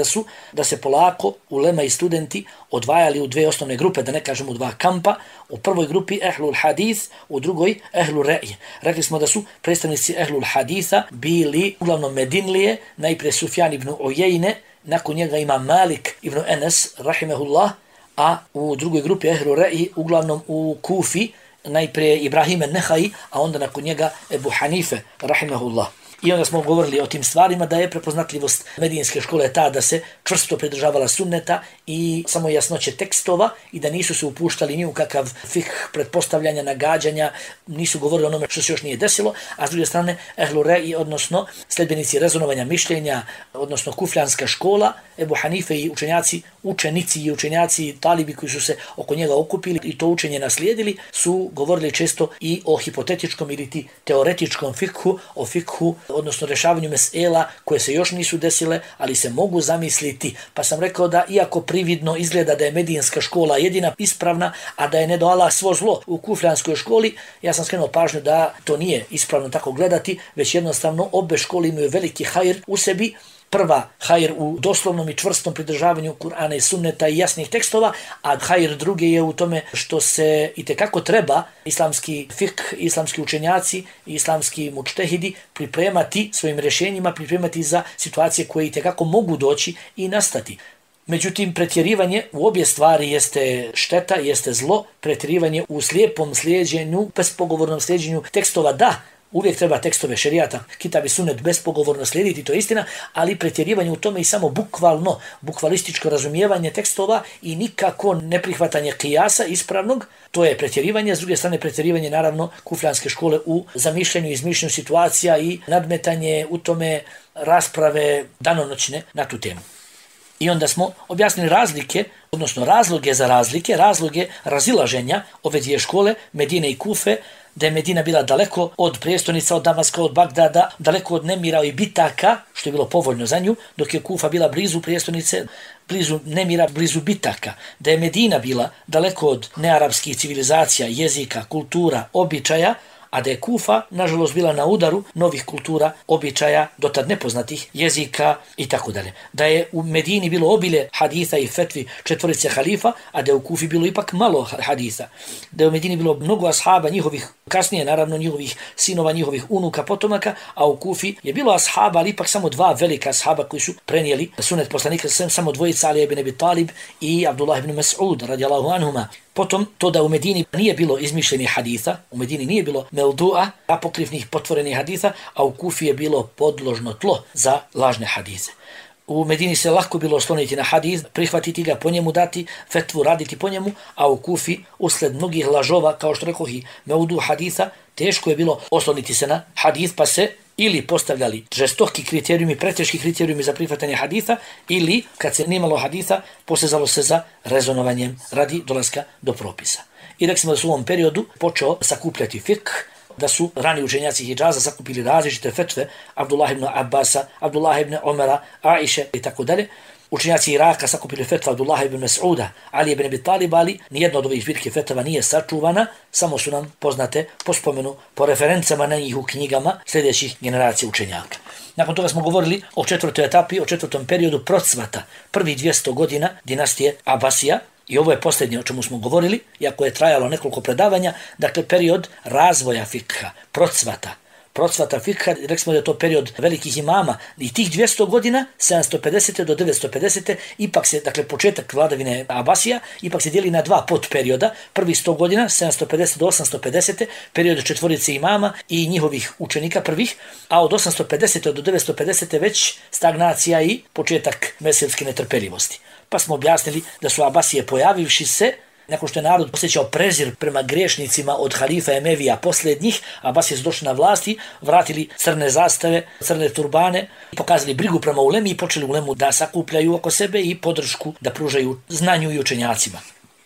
da se polako ulema i studenti odvajali u dve osnovne grupe, da ne kažemo u dva kampa. U prvoj grupi ehlul hadith, u drugoj ehlul re'ij. Rekli smo da su predstavnici ehlul haditha bili uglavnom Medinlije, najprije Sufjan ibn Ujejne, nakon njega ima Malik ibn Enes, rahimehullah, a u drugoj grupi ehlul re'ij uglavnom u Kufi, najprije Ibrahim an-Nehai, a onda nakon njega Ebu Hanife, rahimehullah. I onda smo govorili o tim stvarima, da je prepoznatljivost medinske škole ta da se čvrsto pridržavala sunneta i samo jasnoće tekstova i da nisu se upuštali ni u kakav fikh pretpostavljanja, nagađanja, nisu govorili o onome što se još nije desilo, a s druge strane ehlu re'i, odnosno sljedbenici rezonovanja mišljenja, odnosno kufljanska škola, Ebu Hanife i učenici i učenjaci talibi koji su se oko njega okupili i to učenje naslijedili, su govorili često i o hipotetičkom ili ti teoretičkom fikhu, o fikhu, odnosno rješavanju mesela koje se još nisu desile, ali se mogu zamisliti. Pa sam rekao da iako prividno izgleda da je medinska škola jedina ispravna, a da je ne do Allah svo zlo u kufljanskoj školi, ja sam skrenuo pažnju da to nije ispravno tako gledati, već jednostavno obe škole imaju veliki hajr u sebi. Prva hajr u doslovnom i čvrstom pridržavanju Kur'ana i sunneta i jasnih tekstova, a hajr druge je u tome što se itekako treba islamski fikh, islamski učenjaci i islamski mučtehidi pripremati svojim rješenjima, pripremati za situacije koje itekako mogu doći i nastati. Međutim, pretjerivanje u obje stvari jeste šteta, jeste zlo. Pretjerivanje u slijepom slijeđenju, bespogovornom slijeđenju tekstova, da, uvijek treba tekstove šerijata, kitab i sunnet bespogovorno slijediti, to je istina, ali pretjerivanje u tome i samo bukvalističko razumijevanje tekstova i nikako neprihvatanje kijasa ispravnog, to je pretjerivanje. S druge strane, pretjerivanje naravno kufljanske škole u zamišljenju i izmišljenju situacija i nadmetanje u tome rasprave danonoćne na tu temu. I onda smo objasnili razlike, odnosno razloge za razloge razilaženja ove dvije škole, Medine i Kufe, da je Medina bila daleko od prijestolnica, od Damaska, od Bagdada, daleko od nemira i bitaka, što je bilo povoljno za nju, dok je Kufa bila blizu prijestolnice, blizu nemira, blizu bitaka. Da je Medina bila daleko od nearapskih civilizacija, jezika, kultura, običaja, a da je Kufa, nažalost, bila na udaru novih kultura, običaja, dotad nepoznatih jezika i tako dalje. Da je u Medini bilo obilje haditha i fetvi četvorice halifa, a da je u Kufi bilo ipak malo haditha. Da je u Medini bilo mnogo ashaba njihovih, kasnije naravno njihovih sinova, njihovih unuka, potomaka, a u Kufi je bilo ashaba, ali ipak samo dva velika ashaba koji su prenijeli sunet poslanika, samo dvojica, Ali ibn Abi Talib i Abdullah ibn Mas'ud, radijallahu anhuma. Potom, to da u Medini nije bilo izmišljenih haditha, u Medini nije bilo mevdu'a, apokrifnih potvorenih haditha, a u Kufi je bilo podložno tlo za lažne hadithe. U Medini se lako bilo osloniti na hadith, prihvatiti ga, po njemu dati fetvu, raditi po njemu, a u Kufi, usled mnogih lažova, kao što rekoh i mevdu haditha, teško je bilo osloniti se na hadith, pa se ili postavljali žestoki kriterijumi, preteški kriterijumi za prihvatanje haditha, ili, kad se nimalo haditha, posezalo se za rezonovanjem radi dolaska do propisa. I rekli smo da su u ovom periodu počeo sakupljati fikh, da su rani učenjaci Hidžaza sakupili različite fetve Abdullah ibn Abbasa, Abdullah ibn Omara, Aiše i tako dalje. Učenjaci Iraka sakupili fetva Abdullah ibn Mas'uda, Ali ibn Abi Talib, ali nijedno od ovih zbirki fetva nije sačuvana, samo su nam poznate po spomenu, po referencama na njih u knjigama sljedećih generacija učenjaka. Nakon toga smo govorili o četvrtoj etapi, o četvrtom periodu procvata, prvi 200 godina dinastije Abasija, i ovo je posljednje o čemu smo govorili, iako je trajalo nekoliko predavanja, dakle period razvoja fikha, procvata fikha, rekli smo da je to period velikih imama i tih 200 godina, 750. do 950. ipak se, dakle početak vladavine Abasija, ipak se dijeli na dva podperioda, prvi 100 godina, 750 do 850. period četvorice imama i njihovih učenika prvih, a od 850. do 950. već stagnacija i početak mezhebske netrpeljivosti. Pa smo objasnili da su Abasije pojavivši se, nakon što je narod osjećao prezir prema griješnicima od halifa Emevija posljednjih, Abasije su došli na vlasti, vratili crne zastave, crne turbane, pokazali brigu prema ulemi i počeli ulemu da sakupljaju oko sebe i podršku da pružaju znanju i učenjacima.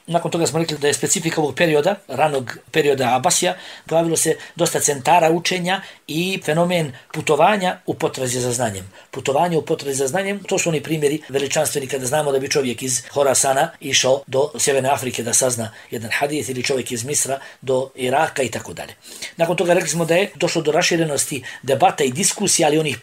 Nakon toga smo rekli da je specifika ovog perioda, ranog perioda Abasija, pojavilo se dosta centara učenja i fenomen putovanja u potrazi za znanjem. Putovanje u potrazi za znanjem, to su oni primjeri veličanstveni kada znamo da bi čovjek iz Horasana išao do Sjeverne Afrike da sazna jedan hadis ili čovjek iz Misra do Iraka i tako dalje. Nakon toga rekli smo da je došlo do raširenosti debata i diskusija, ali onih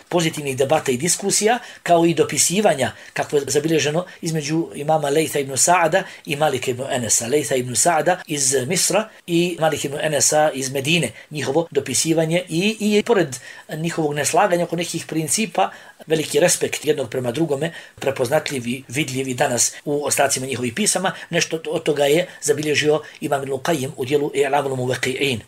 pozitivnih debata i diskusija, kao i dopisivanja, kako je zabilježeno između imama Lejtha ibn Sa'ada i Malika ibn Enesa. Lejtha ibn Sa'ada iz Misra i Malik ibn Enesa iz Medine. Njihovo dopisivanje i pored njihovog neslaganja oko nekih principa, veliki respekt jednog prema drugome, prepoznatljivi, vidljivi danas u ostacima njihovih pisama. Nešto od toga je zabilježio Imam Ibn Qayyim u dijelu I'lamul Muwaqqi'in.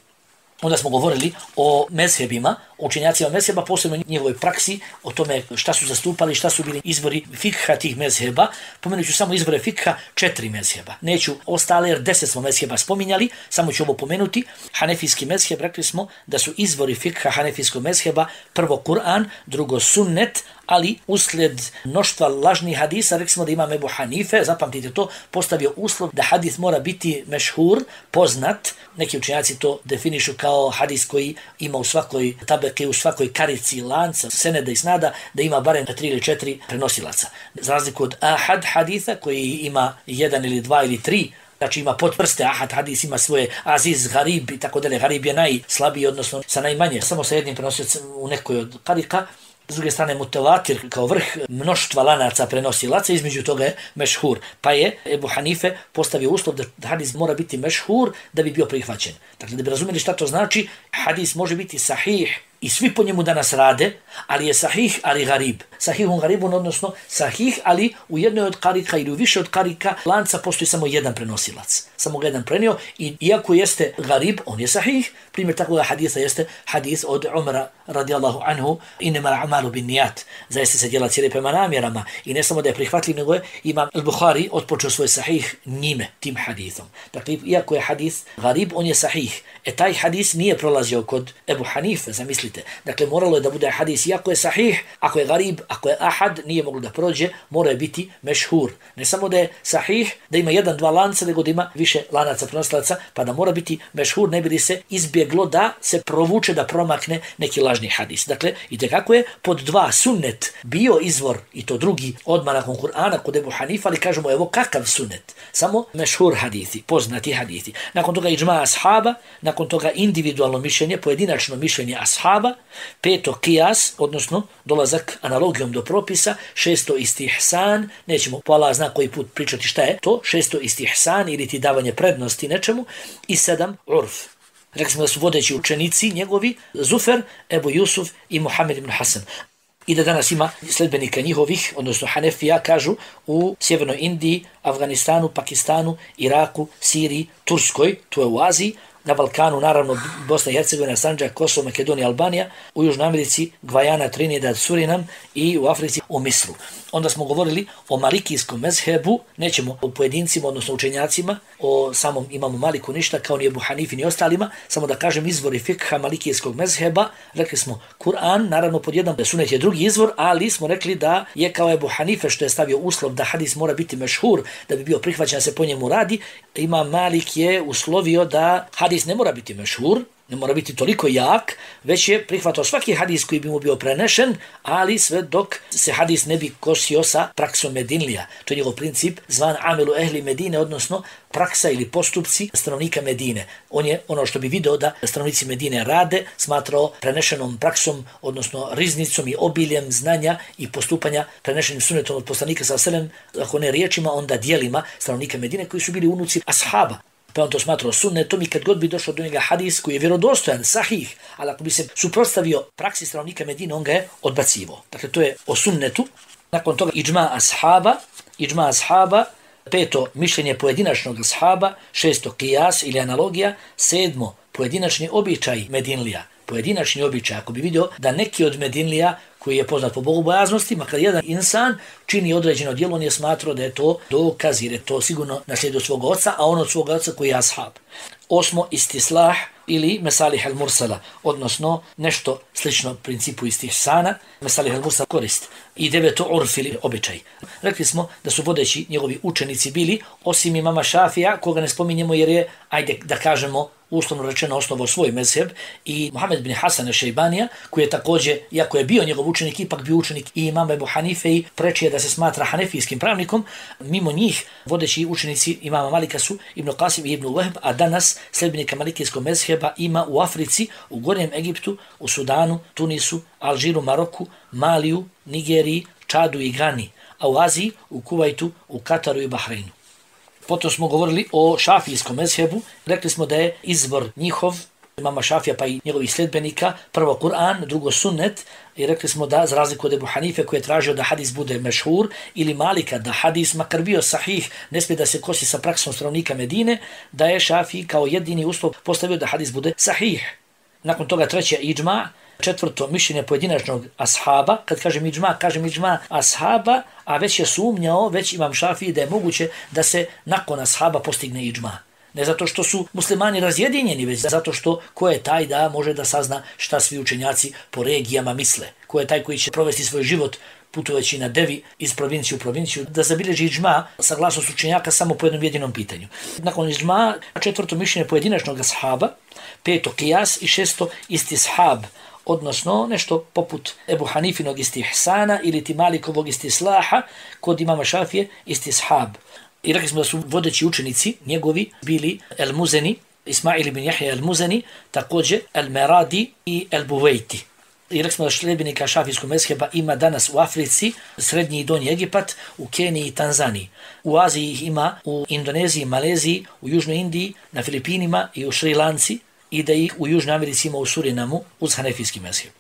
Onda smo govorili o mezhebima, o učenjacima mezheba, posebno njihovoj praksi, o tome šta su zastupali, šta su bili izvori fikha tih mezheba. Pomenut ću samo izvore fikha 4 mezheba. Neću ostale, jer 10 smo mezheba spominjali, samo ću ovo pomenuti. Hanefijski mezheb, rekli smo da su izvori fikha hanefijskog mezheba prvo Kur'an, drugo sunnet, ali uslijed mnoštva lažnih hadisa, rekli smo da Imam Ebu Hanife, zapamtite to, postavio uslov da hadis mora biti mešhur, poznat. Neki učenjaci to definišu kao hadis koji ima u svakoj tabeke, u svakoj karici lanca, seneda i snada, da ima barem 3 ili 4 prenosilaca. Za razliku od ahad haditha koji ima 1 ili 2 ili 3, znači ima potvrste, ahad hadis ima svoje aziz, garib i tako dalje. Garib je najslabiji, odnosno sa najmanje, samo sa jednim prenosiocem u nekoj od karika. S druge strane mutevatir kao vrh mnoštva lanaca prenosilaca, između toga je mešhur. Pa je Ebu Hanife postavio uslov da hadis mora biti mešhur da bi bio prihvaćen. Dakle, da bi razumjeli šta to znači, hadis može biti sahih i svi po njemu danas rade, ali je sahih, ali garib. Sahihun garibun, odnosno sahih, ali u jednoj od karika ili u više od karika lanca postoji samo jedan prenosilac. Samo ga jedan prenio i iako jeste garib, on je sahih. Primjer takvog hadisa jeste hadis od Umara radijallahu anhu, inema a'malu bin nijat. Zaista se djela cijeli prema namjerama. I ne samo da je prihvatljiv, nego je Imam al-Bukhari odpočeo svoj sahih njime, tim hadisom. Dakle, iako je hadis garib, on je sahih. Taj hadis nije prolazio kod Ebu Hanife, zamislite. Dakle, moralo je da bude hadis, iako je sahih, ako je garib, ako je ahad, nije moglo da prođe, mora je biti mešhur. Ne samo da je sahih, da ima 1-2 lanca, nego da ima više lanaca prenosilaca, pa da mora biti mešhur, ne bi li se izbjeglo da se provuče, da promakne neki lažni hadis. Dakle, itekako je pod 2 sunnet bio izvor, i to drugi odmah nakon Kur'ana kod Ebu Hanifa, ali kažemo evo kakav sunnet, samo mešhur hadithi, poznati hadithi. Nakon toga iđma ashaba, nakon toga individualno mišljenje, pojedinačno mišljenje ashaba, 5. qiyas, odnosno dolazak analogijom do propisa, 6. istihsan, nećemo po Allah zna koji put pričati šta je to, 6. istihsan ili ti davanje prednosti nečemu, i 7. urf. Rekli smo da su vodeći učenici njegovi Zufer, Ebu Jusuf i Muhammed ibn Hasan. I da danas ima sledbenika njihovih, odnosno Hanefija, kažu, u Sjevernoj Indiji, Afganistanu, Pakistanu, Iraku, Siriji, Turskoj, to je u Aziji, na Balkanu, naravno, Bosna i Hercegovina, Sandžak, Kosovo, Makedonija, Albanija, u Južnoj Americi, Gvajana, Trinidad, Surinam i u Africi, u Misru. Onda smo govorili o malikijskom mezhebu, nećemo o pojedincima, odnosno učenjacima, o samom imamu Maliku ništa, kao ni Ebu Hanifi ni ostalima, samo da kažem izvori fikha malikijskog mezheba. Rekli smo Kur'an, naravno pod jedan sunet je drugi izvor, ali smo rekli da je kao Ebu Hanife što je stavio uslov da hadis mora biti mešhur, da bi bio prihvaćen se po njemu radi, Imam Malik je uslovio da hadis ne mora biti mešhur, ne mora biti toliko jak, već je prihvatao svaki hadis koji bi mu bio prenešen, ali sve dok se hadis ne bi kosio sa praksom Medinlija. To je njegov princip zvan amelu ehli Medine, odnosno praksa ili postupci stanovnika Medine. On je ono što bi video da stanovnici Medine rade, smatrao prenešenom praksom, odnosno riznicom i obiljem znanja i postupanja prenešenim sunnetom od poslanika sa selem, ako ne riječima, onda dijelima stanovnika Medine koji su bili unuci ashaba. Pa on to smatrao sunnetom i kad god bi došao do njega hadis koji je vjerodostojan, sahih, ali ako bi se suprotstavio praksi stanovnika Medine, on ga je odbacivo. Dakle, to je o sunnetu. Nakon toga iđma ashaba, 5. mišljenje pojedinačnog ashaba, 6. qiyas ili analogija, 7. pojedinačni običaj Medinlija. Pojedinačni običaj, ako bi vidio da neki od Medinlija koji je poznat po bogobojaznosti, makar jedan insan čini određeno djelo, on je smatrao da je to dokaz, jer je to sigurno naslijedio svog oca, a on od svog oca koji je ashab. 8. istislah, ili mesalih al-mursala, odnosno nešto slično principu istihsana, mesalih al-mursala korist i 9 urf ili običaj. Rekli smo da su vodeći njegovi učenici bili, osim imama Šafija, koga ne spominjemo jer je, ajde da kažemo, uslovno rečeno osnovao svoj mezheb, i Muhammed bin Hasan al-Šejbanija, koji je također, iako je bio njegov učenik, ipak bio učenik i imama Ebu Hanife i preči je da se smatra hanefijskim pravnikom. Mimo njih vodeći učenici imama Malika su Ibn Qasim i Ibn Wahb, a danas sljedbenika malikijskog mezheba ima u Africi, u Gornjem Egiptu, u Sudanu, Tunisu, Alžiru, Maroku, Maliju, Nigeriji, Čadu i Gani, a u Aziji, u Kuvajtu, u Kataru i Bahreinu. Potom smo govorili o šafijskom mezhebu, rekli smo da je izbor njihov, imama Šafija pa i njegovih sljedbenika, prvo Kur'an, drugo sunnet, i rekli smo da, za razliku od Ebu Hanife koji je tražio da hadis bude mešhur, ili Malika da hadis, makar bio sahih, ne smije da se kosi sa praksom stanovnika Medine, da je Šafiji kao jedini uslov postavio da hadis bude sahih. Nakon toga treće iđma, četvrto mišljenje pojedinačnog ashaba. Kad kažem iđma ashaba, a već je sumnjao, već imam Šafiji da je moguće da se nakon ashaba postigne iđma. Ne zato što su muslimani razjedinjeni, već zato što ko je taj da može da sazna šta svi učenjaci po regijama misle. Ko je taj koji će provesti svoj život putujući na devi iz provincije u provinciju, da zabilježi iđma saglasnost učenjaka samo po jednom jedinom pitanju. Nakon iđma, četvrto mišljenje pojedinačnog ashaba, peto qiyas i šesto istishab, odnosno nešto poput Ebu Hanifinog istihsana ili ti Malikovog istislaha, kod imama Šafije istishab. I rekli smo da su vodeći učenici njegovi bili El-Muzeni, Ismail ibn Jahja El-Muzeni, također El-Meradi i El-Buvejti. I rekli smo da sljedbenika šafijskog mezheba ima danas u Africi, Srednji i Donji Egipat, u Keniji i Tanzaniji. U Aziji ih ima u Indoneziji, Maleziji, u Južnoj Indiji, na Filipinima i u Šri Lanci, i da ih u Južnoj Americi ima u Surinamu uz hanefijski mezheb.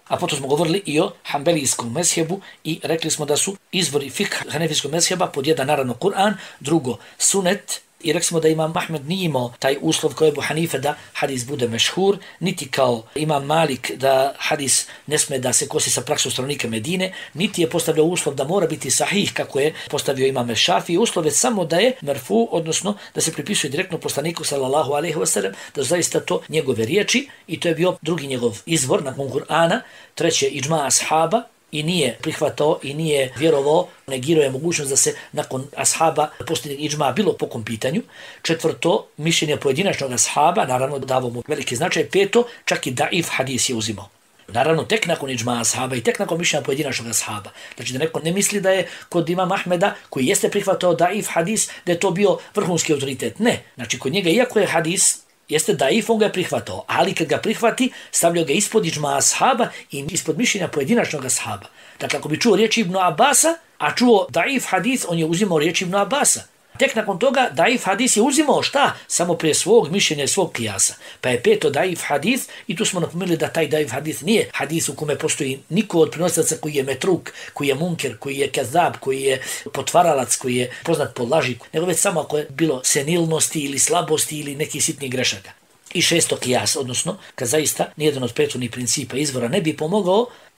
A potom smo govorili i o hanbelijskom mezhebu i rekli smo da su izvori fikh hanefijskog mezheba pod jedan naravno Kur'an, drugo sunet, i rekli smo da imam Ahmed nije imao taj uslov kao Ebu Hanife da hadis bude mešhur, niti kao imam Malik da hadis ne sme da se kosi sa praksom stanovnika Medine, niti je postavljao uslov da mora biti sahih kako je postavio imam Šafiji, uslov je samo da je merfu, odnosno da se pripisuje direktno poslaniku sallallahu alejhi ve sellem, da zaista to njegove riječi, i to je bio drugi njegov izvor nakon Kur'ana, treće iđma ashaba, i nije prihvatao i nije vjerovao, negirao je mogućnost da se nakon ashaba postigne iđma bilo po kom pitanju. Četvrto, mišljenje pojedinačnog ashaba, naravno davo mu veliki značaj. Peto, čak i daif hadis je uzimao. Naravno, tek nakon iđma ashaba i tek nakon mišljenja pojedinačnog ashaba. Znači da neko ne misli da je kod imama Ahmeda, koji jeste prihvatao daif hadis, da je to bio vrhunski autoritet. Ne, znači kod njega, iako je hadis jeste daif, on ga je prihvatao, ali kad ga prihvati, stavljao ga ispod iđma ashaba i ispod mišljenja pojedinačnog ashaba. Dakle, ako bi čuo riječi Ibn Abasa, a čuo daif hadis, on je uzimao riječi Ibn Abasa. Tek nakon toga daif hadis je uzimao šta? Samo prije svog mišljenja i svog kijasa. Pa je peto daif hadis, i tu smo napomenuli da taj daif hadis nije hadis u kome postoji niko od prenosilaca koji je metruk, koji je munker, koji je kazab, koji je potvaralac, koji je poznat po laži, nego već samo ako je bilo senilnosti ili slabosti ili nekih sitnih grešaka. I šesto kijas, odnosno kad zaista nijedan od prethodnih principa izvora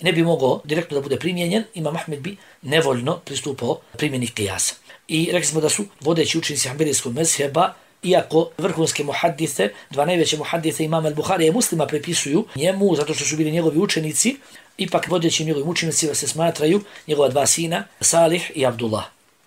ne bi mogao direktno da bude primijenjen, imam Ahmed bi nevoljno pristupao primjeni kijasa. I rekli smo da su vodeći učenici hanbelijskog mezheba, iako vrhunske muhaddise, dva najveće muhaddise imama al-Buharija i Muslima prepisuju njemu zato što su bili njegovi učenici, ipak vodeći njegovim učenicima se smatraju njegova dva sina, Salih i Abdullah,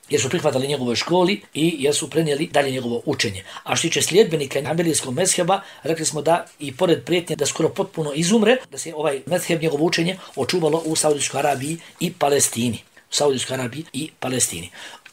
jer su prihvatali njegovoj školi i jer su prenijeli dalje njegovo učenje. A što tiče sljedbenika hanbelijskog mezheba, rekli smo da i pored prijetnje da skoro potpuno izumre, da se ovaj mezheb, njegovo učenje, očuvalo u Saudijskoj Arabiji i Palestini.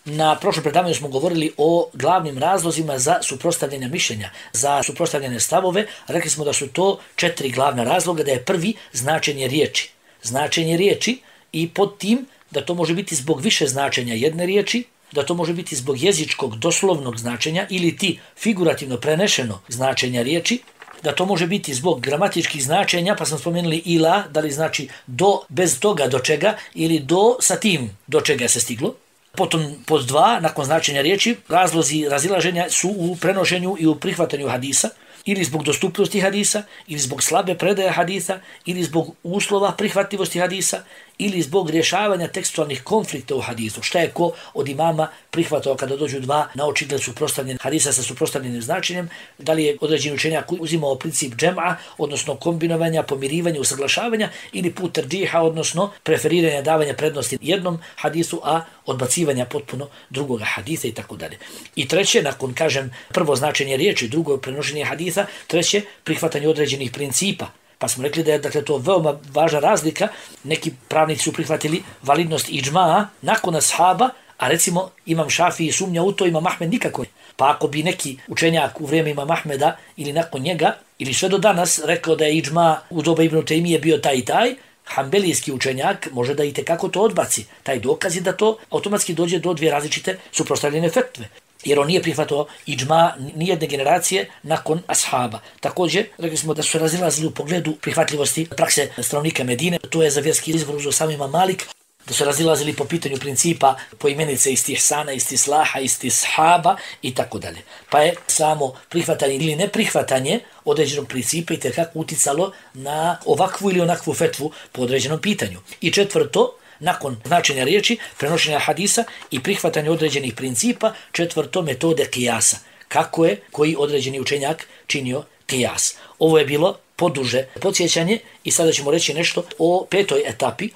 Na prošlom predavanju smo govorili o glavnim razlozima za suprotstavljene mišljenja, za suprotstavljene stavove. Rekli smo da su to 4 glavna razloga, da je prvi značenje riječi. Značenje riječi i pod tim da to može biti zbog više značenja jedne riječi, da to može biti zbog jezičkog doslovnog značenja ili ti figurativno prenešeno značenja riječi, da to može biti zbog gramatičkih značenja, pa smo spomenuli ila, da li znači do, bez toga do čega, ili do sa tim do čega se stiglo. Potom pod 2, nakon značenja riječi, razlozi razilaženja su u prenošenju i u prihvatanju hadisa, ili zbog dostupnosti hadisa, ili zbog slabe predaje hadisa, ili zbog uslova prihvatljivosti hadisa, ili zbog rješavanja tekstualnih konflikta u hadisu. Šta je ko od imama prihvatao kada dođu dva na očigled suprotstavljenih hadisa sa suprotstavljenim značenjem, da li je određeni učenjak uzimao princip džem'a, odnosno kombinovanja, pomirivanja, usaglašavanja, ili put terđiha, odnosno preferiranja, davanja prednosti jednom hadisu, a odbacivanja potpuno drugoga hadisa i tako dalje. I treće, nakon, kažem, prvo značenje riječi, drugo prenošenje hadisa, treće, prihvatanje određenih principa. Pa smo rekli da je, dakle, to veoma važna razlika. Neki pravnici su prihvatili validnost iđma nakon ashaba, a recimo Imam Šafiji sumnja u to, Imam Ahmed nikako. Pa ako bi neki učenjak u vrijeme Imam Ahmeda ili nakon njega, ili sve do danas rekao da je iđma u doba Ibn Taymije bio taj i taj, hanbelijski učenjak može da i tekako to odbaci. Taj dokaz je da to automatski dođe do dvije različite suprotstavljene fetve. Jer on nije prihvatao iđma nijedne generacije nakon ashaba. Također, rekli smo da su razilazili u pogledu prihvatljivosti prakse stanovnika Medine. To je za vjerski izvor uzeo sam Imam Malik, da su razilazili po pitanju principa poimenice istihsana, istislaha, istishaba i tako dalje. Pa je samo prihvatanje ili neprihvatanje određenog principa i tekako uticalo na ovakvu ili onakvu fetvu po određenom pitanju. I četvrto, nakon značenja riječi, prenošenja hadisa i prihvatanja određenih principa, četvrto, metode kijasa. Kako je koji određeni učenjak činio kijas. Ovo je bilo poduže podsjećanje i sada ćemo reći nešto o petoj etapi,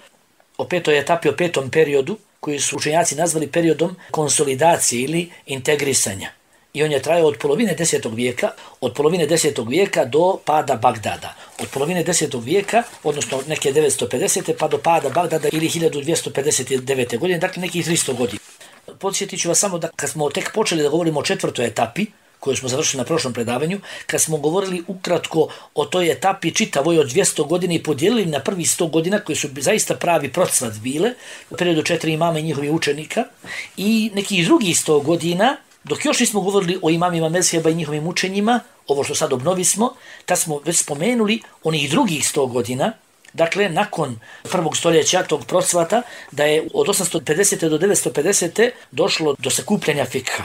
o petom periodu koji su učenjaci nazvali periodom konsolidacije ili integrisanja. I on je trajao od polovine 10. vijeka do pada Bagdada. Od polovine 10. vijeka, odnosno neke 950. pa do pada Bagdada ili 1259. godine, dakle nekih 300 godina. Podsjetit ću vas samo da kad smo tek počeli da govorimo o četvrtoj etapi, koju smo završili na prošlom predavanju, kad smo govorili ukratko o toj etapi čitavoj od 200 godina i podijelili na prvi 100 godina, koji su zaista pravi procvat bile, u periodu 4 imama i njihovih učenika, i nekih drugih 100 godina, dok još nismo govorili o imamima mezheba i njihovim učenjima, ovo što sad obnovismo, tad smo već spomenuli onih drugih 100 godina, dakle, nakon prvog stoljeća tog procvata, da je od 850. do 950. došlo do sakupljanja fikha.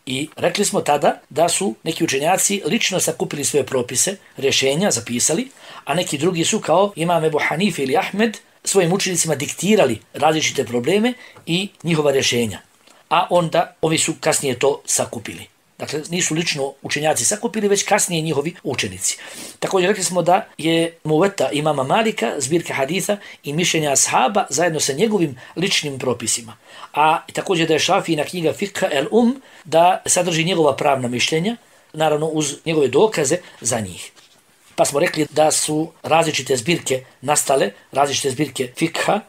I rekli smo tada da su neki učenjaci lično sakupili svoje propise, rješenja, zapisali, a neki drugi su kao Imam Ebu Hanife ili Ahmed svojim učenicima diktirali različite probleme i njihova rješenja. A onda ovi su kasnije to sakupili. Dakle, nisu lično učenjaci sakupili, već kasnije njihovi učenici. Također rekli smo da je Muveta imama Malika, zbirka haditha i mišljenja ashaba zajedno sa njegovim ličnim propisima. A također da je Šafijina knjiga Fikha el da sadrži njegova pravna mišljenja, naravno uz njegove dokaze za njih. Pa smo rekli da su različite zbirke nastale, različite zbirke fikha,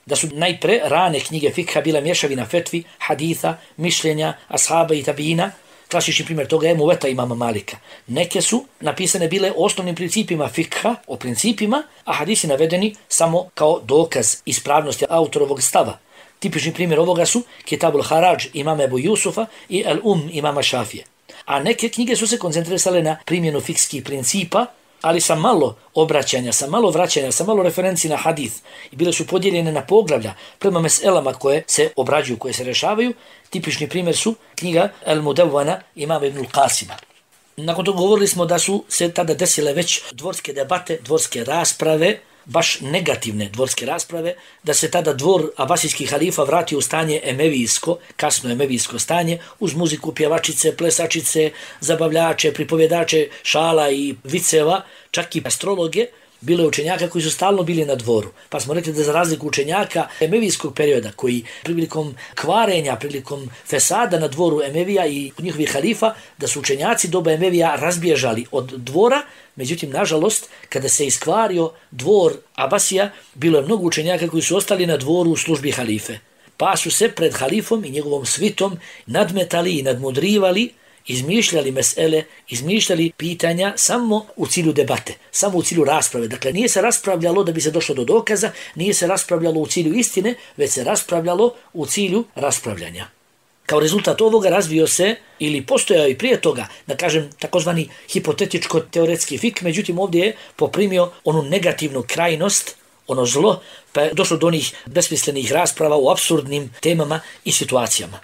da su najpre rane knjige fikha bila mješavina fetvi, haditha, mišljenja, ashaba i tabijina. Klasični primjer toga je Muveta imama Malika. Neke su napisane bile osnovnim principima fikha, o principima, a hadisi navedeni samo kao dokaz ispravnosti autorovog stava. Tipični primjer ovoga su Kitabul Harađ imama Ebu Jusufa i imama Šafije. A neke knjige su se koncentrisale na primjenu fikskih principa, ali sa malo obraćanja, sa malo vraćanja, sa malo referenci na hadith. I bile su podijeljene na poglavlja prema meselama koje se obrađuju, koje se rešavaju. Tipični primjer su knjiga El Mudevvana imama Ibnul Qasima. Nakon toga govorili smo da su se tada desile već dvorske debate, dvorske rasprave, baš negativne dvorske rasprave, da se tada dvor abasijskih halifa vratio u stanje emevijsko, kasno emevijsko stanje, uz muziku, pjevačice, plesačice, zabavljače, pripovjedače, šala i viceva, čak i astrologe. Bilo je učenjaka koji su stalno bili na dvoru. Pa smo rekli da za razliku učenjaka emevijskog perioda, koji prilikom kvarenja, prilikom fesada na dvoru Emevija i njihovih halifa, da su učenjaci doba Emevija razbježali od dvora. Međutim, nažalost, kada se iskvario dvor Abasija, bilo je mnogo učenjaka koji su ostali na dvoru u službi halife. Pa su se pred halifom i njegovom svitom nadmetali i nadmudrivali, izmišljali mesele, izmišljali pitanja samo u cilju debate, samo u cilju rasprave. Dakle, nije se raspravljalo da bi se došlo do dokaza, nije se raspravljalo u cilju istine, već se raspravljalo u cilju raspravljanja. Kao rezultat ovoga razvio se, ili postojao i prije toga, da kažem, takozvani hipotetičko-teoretski fik, međutim ovdje je poprimio onu negativnu krajnost, ono zlo, pa je došlo do onih besmislenih rasprava u apsurdnim temama i situacijama.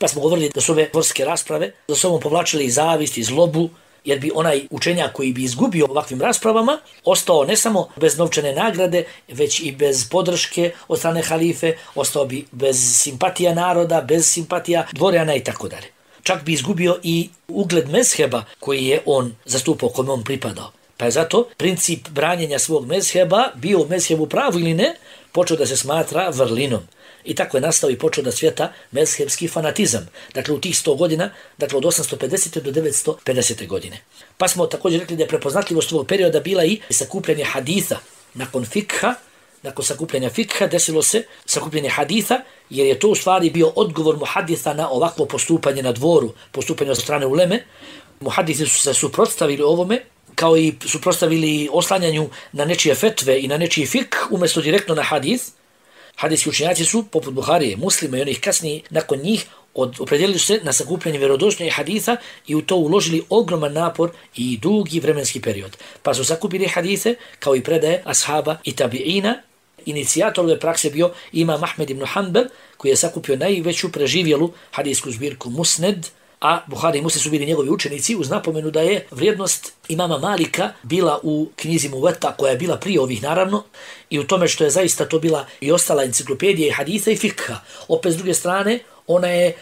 Pa smo govorili da su ove dvorske rasprave za sobom povlačile i zavist, i zlobu, jer bi onaj učenjak koji bi izgubio ovakvim raspravama ostao ne samo bez novčane nagrade, već i bez podrške od strane halife, ostao bi bez simpatija naroda, bez simpatija dvorjana i tako dalje. Čak bi izgubio i ugled mezheba koji je on zastupao, kome on pripadao. Pa je zato princip branjenja svog mezheba, bio mezheb u pravu ili ne, počeo da se smatra vrlinom. I tako je nastao i počeo da cvjeta mezhebski fanatizam. Dakle, u tih 100 godina, dakle od 850. do 950. godine. Pa smo također rekli da je prepoznatljivost ovog perioda bila i sakupljanje haditha. Nakon sakupljanja fikha desilo se sakupljanje haditha, jer je to u stvari bio odgovor muhaditha na ovakvo postupanje na dvoru, postupanje od strane uleme. Muhadithi su se suprotstavili ovome, kao i suprotstavili oslanjanju na nečije fetve i na nečiji fik, umjesto direktno na hadith. Hadijski učenjaci su, poput Buharije, Muslima i onih kasniji nakon njih, opredijelili se na sakupljanje vjerodostojnih haditha i u to uložili ogroman napor i dugi vremenski period. Pa su sakupili hadithe kao i predaje ashaba i tabi'ina. Inicijator ove prakse bio imam Ahmed ibn Hanbal, koji je sakupio najveću preživjelu hadijsku zbirku Musned, a Buhari i Muslim su bili njegovi učenici, uz napomenu da je vrijednost imama Malika bila u knjizi Muveta, koja je bila prije ovih naravno, i u tome što je zaista to bila i ostala enciklopedija i haditha i fikha. Opet s druge strane, ona je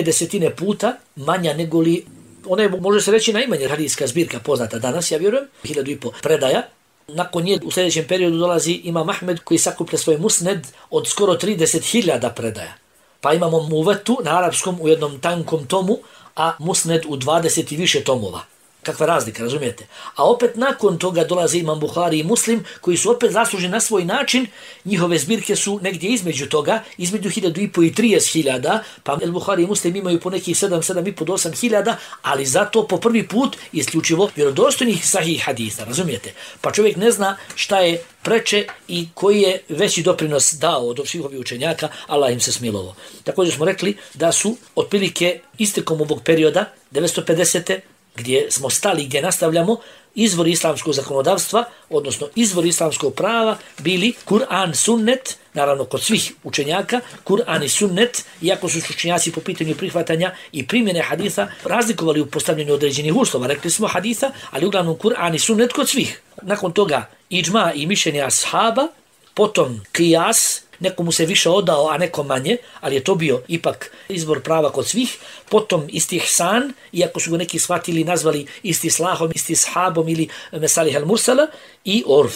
desetine puta manja nego li, ona je, može se reći, najmanja hadijska zbirka poznata danas, ja vjerujem, 1500 predaja. Nakon nje u sljedećem periodu dolazi imam Ahmed, koji sakuplja svoj Musned od skoro 30.000 predaja. Pa imamo Muvetu na arapskom u jednom tankom tomu, a Musned u 20 i više tomova. Kakva razlika, razumijete? A opet nakon toga dolaze imam Buhari i Muslim, koji su opet zasluženi na svoj način. Njihove zbirke su negdje između toga, između 1500 i 30.000, pa Buhari i Muslim imaju po nekih 7,5 do 8.000, ali zato po prvi put isključivo vjerodostojnih sahih haditha, razumijete? Pa čovjek ne zna šta je preče i koji je veći doprinos dao od svih ovih učenjaka, Allah im se smilovo. Također smo rekli da su otprilike istekom ovog perioda, 950. gdje smo stali, gdje nastavljamo, izvori islamskog zakonodavstva, odnosno izvori islamskog prava, bili Kur'an, sunnet, naravno kod svih učenjaka, Kur'an i sunnet, iako su učenjaci po pitanju prihvatanja i primjene haditha razlikovali u postavljanju određenih uslova, rekli smo haditha, ali uglavnom Kur'an i sunnet kod svih. Nakon toga iđma i mišljenje ashaba, potom qiyas, nekomu se više odao, a nekom manje, ali je to bio ipak izbor prava kod svih. Potom istihsan, iako su go neki shvatili, nazvali istislahom, istishabom ili mesalih al-mursala, i orf.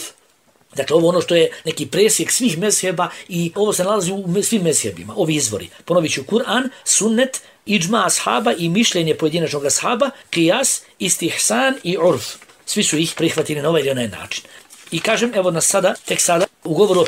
Dakle, ovo ono što je neki presjek svih mezheba i ovo se nalazi u svim mezhebima, ovi izvori. Ponovit ću Kur'an, sunnet, iđma ashaba i mišljenje pojedinačnog ashaba, qiyas, istihsan i orf. Svi su ih prihvatili na ovaj ili onaj način. I kažem, evo nas sada, tek sada, u govoru o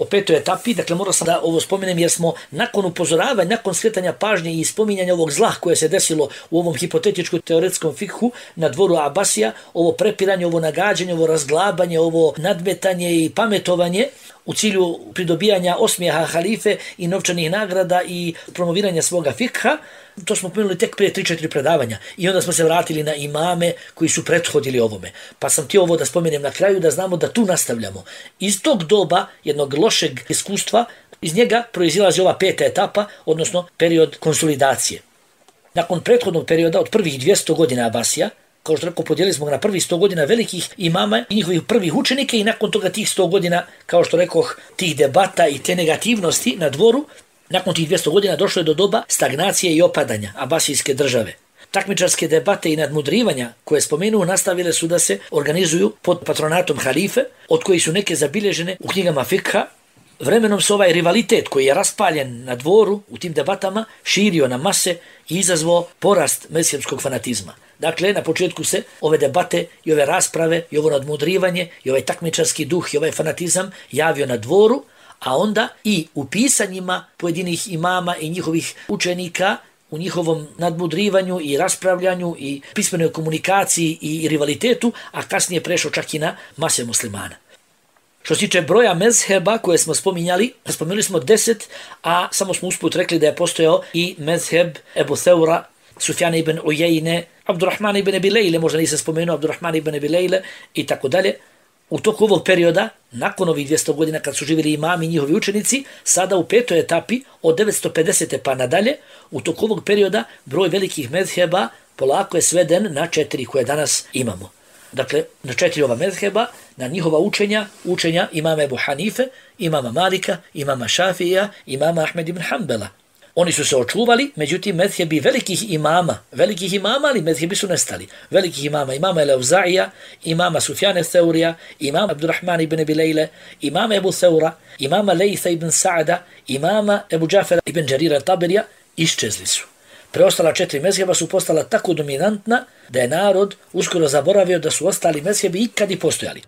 petoj etapi, dakle moram sam da ovo spomenem jer smo nakon upozoravanja, nakon skretanja pažnje i spominjanja ovog zla koje se desilo u ovom hipotetičkom teoretskom fikhu na dvoru Abasija, ovo prepiranje, ovo nagađanje, ovo razglabanje, ovo nadmetanje i pametovanje u cilju pridobijanja osmijeha halife i novčanih nagrada i promoviranja svoga fikha, to smo pomenuli tek prije 3-4 predavanja. I onda smo se vratili na imame koji su prethodili ovome. Pa sam ti ovo da spomenem na kraju da znamo da tu nastavljamo. Iz tog doba, jednog lošeg iskustva, iz njega proizilazi ova peta etapa, odnosno period konsolidacije. Nakon prethodnog perioda od prvih 200 godina Abasija, kao što rekao, podijelili smo ga na prvih 100 godina velikih imama i njihovih prvih učenika i nakon toga tih 100 godina, kao što rekoh, tih debata i te negativnosti na dvoru, nakon tih 200 godina došlo je do doba stagnacije i opadanja Abasijske države. Takmičarske debate i nadmudrivanja koje spomenuo nastavile su da se organizuju pod patronatom halife, od kojih su neke zabilježene u knjigama fikha. Vremenom se ovaj rivalitet koji je raspaljen na dvoru u tim debatama širio na mase i izazvao porast mezhebskog fanatizma. Dakle, na početku se ove debate i ove rasprave i ovo nadmudrivanje i ovaj takmičarski duh i ovaj fanatizam javio na dvoru, a onda i u pisanjima pojedinih imama i njihovih učenika, u njihovom nadmudrivanju i raspravljanju i pismenoj komunikaciji i rivalitetu, a kasnije prešao čak i na mase muslimana. Što se tiče broja mezheba koje smo spominjali smo 10, a samo smo usput rekli da je postojao i mezheb Ebu Theura, Sufjana ibn Ujejne, Abdurrahmana ibn Abi Lejle, možda nisam spomenuo Abdurrahmana ibn Abi Lejle i tako dalje. U toku ovog perioda, nakon ovih 200 godina kad su živjeli imami i njihovi učenici, sada u petoj etapi od 950. pa nadalje, u toku ovog perioda broj velikih mezheba polako je sveden na 4 koje danas imamo. Dakle, na 4 ova mezheba, na njihova učenja imama Ebu Hanife, imama Malika, imama Šafija, imama Ahmed ibn Hanbala. Oni su se očuvali, međutim mezhebi velikih imama, ali mezhebi su nestali. Velikih imama Elauzaija, imama Sufjane Theurija, imama Abdurrahman ibn Abi Lejle, imama Ebu Theura, imama Lejtha ibn Sa'ada, imama Ebu Džafera ibn Đarira Taberija, iščezli su. Preostala 4 mezheba su postala tako dominantna da je narod uskoro zaboravio da su ostali mezhebi ikad i postojali.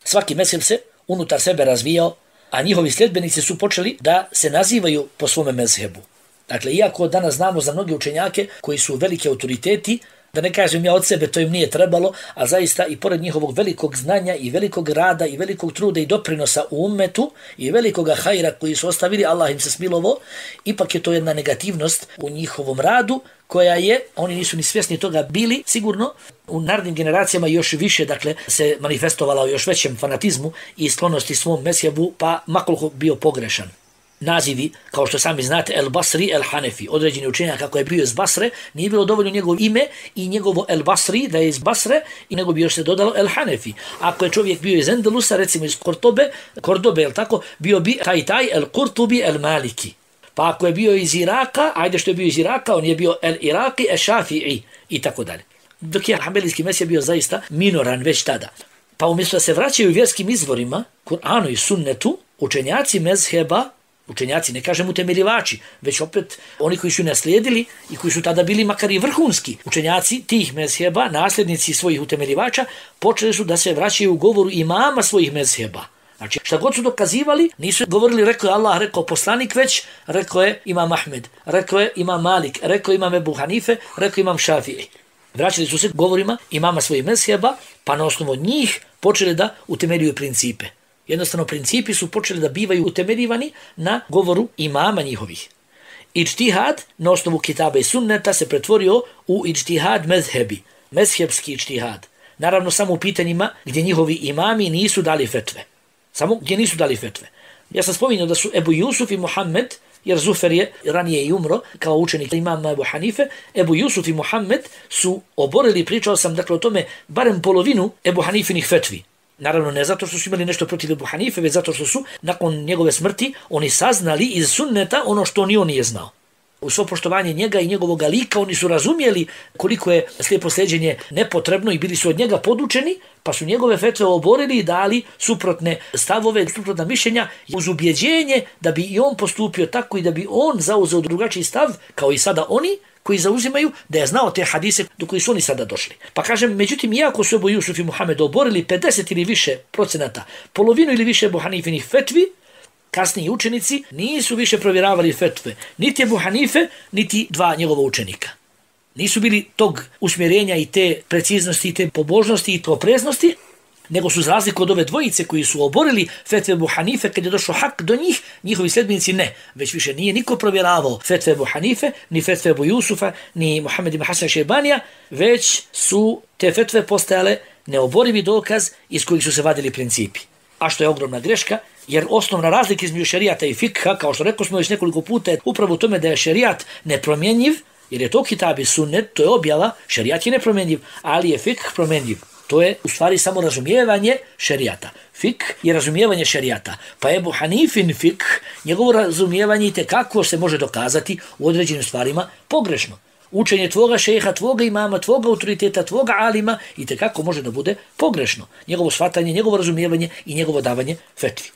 Svaki mezheb se unutar sebe razvijao, a njihovi sljedbenici su počeli da se nazivaju po svome mezhebu. Dakle, iako danas znamo za mnoge učenjake koji su veliki autoriteti, da ne kažem ja od sebe, to im nije trebalo, a zaista i pored njihovog velikog znanja i velikog rada i velikog truda i doprinosa u ummetu i velikoga hajra koji su ostavili, Allah im se smilovao, ipak je to jedna negativnost u njihovom radu koja je, oni nisu ni svjesni toga bili, sigurno u narednim generacijama još više, dakle, se manifestovala u još većem fanatizmu i sklonosti svom mezhebu, pa makoliko bio pogrešan. Nazivi, kao što sami znate, El Basri, El Hanefi, određeni učenjak kako je bio iz Basre, nije bilo dovoljno njegovo ime i njegovo El Basri da je iz Basre i nego bi još se dodalo El Hanefi. Ako je čovjek bio iz Endelusa, recimo iz Kordobe, jel tako, bio bi taj El Kurtubi, El Maliki. Pa ako je bio iz Iraka, ajde što je bio iz Iraka, on je bio El Iraki, El Šafi'i i tako dalje. Dok je hanbelijski mezheb bio zaista minoran već tada. Pa umjesto da se vraćaju vjerskim izvorima, Kur'anu i sunnetu, učenjaci mezheba, učenjaci, ne kažem utemeljivači, već opet oni koji su naslijedili i koji su tada bili makar i vrhunski učenjaci tih mezheba, nasljednici svojih utemeljivača, počeli su da se vraćaju u govoru imama svojih mezheba. Znači, šta god su dokazivali, nisu govorili rekao je Allah, rekao poslanik, već rekao je imam Ahmed, rekao je imam Malik, rekao je imam Ebu Hanife, rekao je imam Šafiji. Vraćali su se govorima imama svojih mezheba, pa na osnovu njih počeli da utemeljuju principe. Jednostavno, principi su počeli da bivaju utemeljivani na govoru imama njihovih. Ičtihad na osnovu kitaba i sunneta se pretvorio u ičtihad mezhebi, mezhebski ičtihad. Naravno, samo u pitanjima gdje njihovi imami nisu dali fetve. Samo gdje nisu dali fetve. Ja sam spominjao da su Ebu Jusuf i Muhammed, jer Zufer je ranije i umro kao učenik imama Ebu Hanife, Ebu Jusuf i Muhammed su oborili, pričao sam dakle o tome, barem polovinu Ebu Hanifinih fetvi. Naravno, ne zato što su imali nešto protiv Ebu Hanife, već zato što su nakon njegove smrti oni saznali iz sunneta ono što ni on nije znao. U svo poštovanje njega i njegovog lika oni su razumjeli koliko je slijepo sljeđenje nepotrebno i bili su od njega podučeni, pa su njegove fetve oborili i dali suprotne stavove, suprotna mišljenja uz ubjeđenje da bi i on postupio tako i da bi on zauzeo drugačiji stav, kao i sada oni koji zauzimaju, da je znao te hadise do koji su oni sada došli. Pa kažem, međutim, iako su Ebu Jusuf i Muhammed oborili 50 ili više procenata, polovinu ili više Ebu Hanifinih fetvi, kasniji učenici nisu više provjeravali fetve, niti Ebu Hanife, niti dva njegova učenika. Nisu bili tog usmjerenja i te preciznosti, i te pobožnosti i te opreznosti, nego su za razliku od ove dvojice koji su oborili fetve Ebu Hanife, kad je došao hak do njih, njihovi sljedbenici ne. Već više nije niko provjeravao fetve Ebu Hanife, ni fetve Ebu Jusufa, ni Muhammed ibn Hasan Šejbanija, već su te fetve postajale neoborivi dokaz iz kojih su se vadili principi. A što je ogromna greška, jer osnovna razlika između šerijata i fikha, kao što rekao smo već nekoliko puta, je upravo u tome da je šerijat nepromjenjiv, jer je to kitab i sunnet, to je objava, šerijat je nepromjenjiv, ali je fikh promjenjiv. To je u stvari samo razumijevanje šerijata. Fik je razumijevanje šerijata. Pa Ebu Hanifin fik, njegovo razumijevanje itekako se može dokazati u određenim stvarima pogrešno. Učenje tvoga šeha, tvoga imama, tvoga autoriteta, tvoga alima itekako može da bude pogrešno. Njegovo shvatanje, njegovo razumijevanje i njegovo davanje fetvi.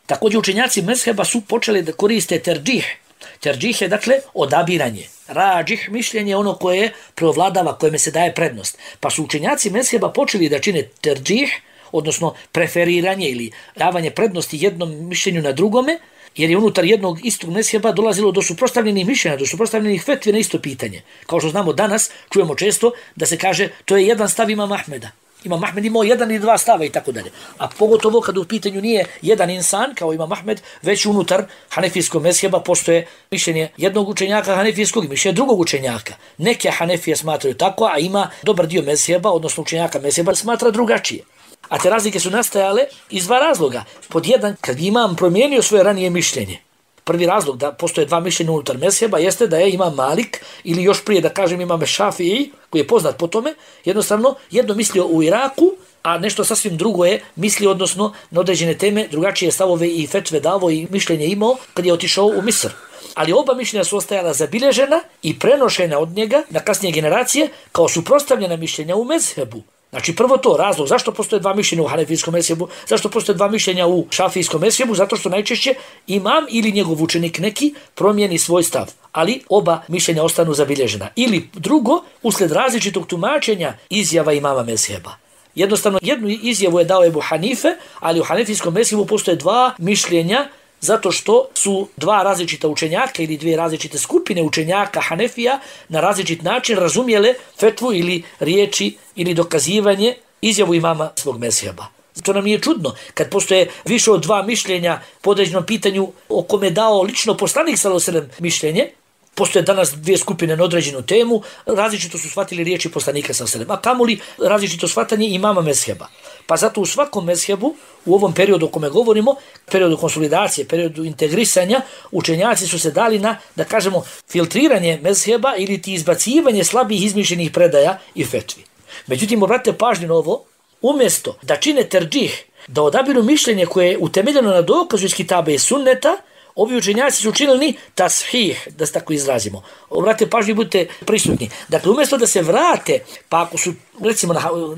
Također učenjaci mezheba su počeli da koriste terđih. Terđih je dakle odabiranje. Rađih mišljenje ono koje preovladava, kojeme se daje prednost. Pa su učenjaci mezheba počeli da čine terđih, odnosno preferiranje ili davanje prednosti jednom mišljenju na drugome, jer je unutar jednog istog mezheba dolazilo do suprotstavljenih mišljenja, do suprotstavljenih fetvi na isto pitanje. Kao što znamo danas, čujemo često da se kaže to je jedan stav imama Ahmeda. Imam Ahmed imao jedan ili dva stava i tako dalje. A pogotovo kad u pitanju nije jedan insan kao Imam Ahmed, već unutar hanefijskog mezheba postoje mišljenje jednog učenjaka hanefijskog i mišljenje drugog učenjaka. Neke hanefije smatraju tako, a ima dobar dio mezheba, odnosno učenjaka mezheba, smatra drugačije. A te razlike su nastajale iz dva razloga. Pod jedan, kad imam promijenio svoje ranije mišljenje, Prvi razlog da postoje dva mišljenja unutar mezheba jeste da je Imam Malik, ili još prije da kažem Imam Šafii, koji je poznat po tome, jednostavno jedno mislio u Iraku, a nešto sasvim drugo je mislio, odnosno na određene teme, drugačije stavove i fetve davo i mišljenje imao kad je otišao u Misr. Ali oba mišljenja su ostajala zabilježena i prenošena od njega na kasnije generacije kao suprotstavljena mišljenja u mezhebu. Znači prvo to, razlog zašto postoje dva mišljenja u hanefijskom mezhebu, zašto postoje dva mišljenja u šafijskom mezhebu, zato što najčešće imam ili njegov učenik neki promijeni svoj stav, ali oba mišljenja ostanu zabilježena. Ili drugo, usled različitog tumačenja izjava imama mezheba. Jednostavno, jednu izjavu je dao Ebu Hanife, ali u hanefijskom mezhebu postoje dva mišljenja zato što su dva različita učenjaka ili dvije različite skupine učenjaka Hanefija na različit način razumjele fetvu ili riječi ili dokazivanje izjavu imama svog mezheba. To nam nije čudno kad postoje više od dva mišljenja po određenom pitanju o kome dao lično poslanik sallallahu alejhi ve sellem mišljenje. Postoje danas dvije skupine na određenu temu, različito su shvatili riječi poslanika sallallahu alejhi ve sellem, a kamoli različito shvatanje imama mezheba. Pa zato u svakom mezhebu, u ovom periodu o kome govorimo, periodu konsolidacije, periodu integrisanja, učenjaci su se dali na, da kažemo, filtriranje mezheba ili ti izbacivanje slabih izmišljenih predaja i fetvi. Međutim, obratite pažnju na ovo, umjesto da čine terđih, da odabiru mišljenje koje je utemeljeno na dokazu iz kitaba i sunneta, ovi učenjaci su učinili tashih, da se tako izrazimo. Obratite pažnju i budite prisutni. Dakle, umjesto da se vrate, pa ako su, recimo,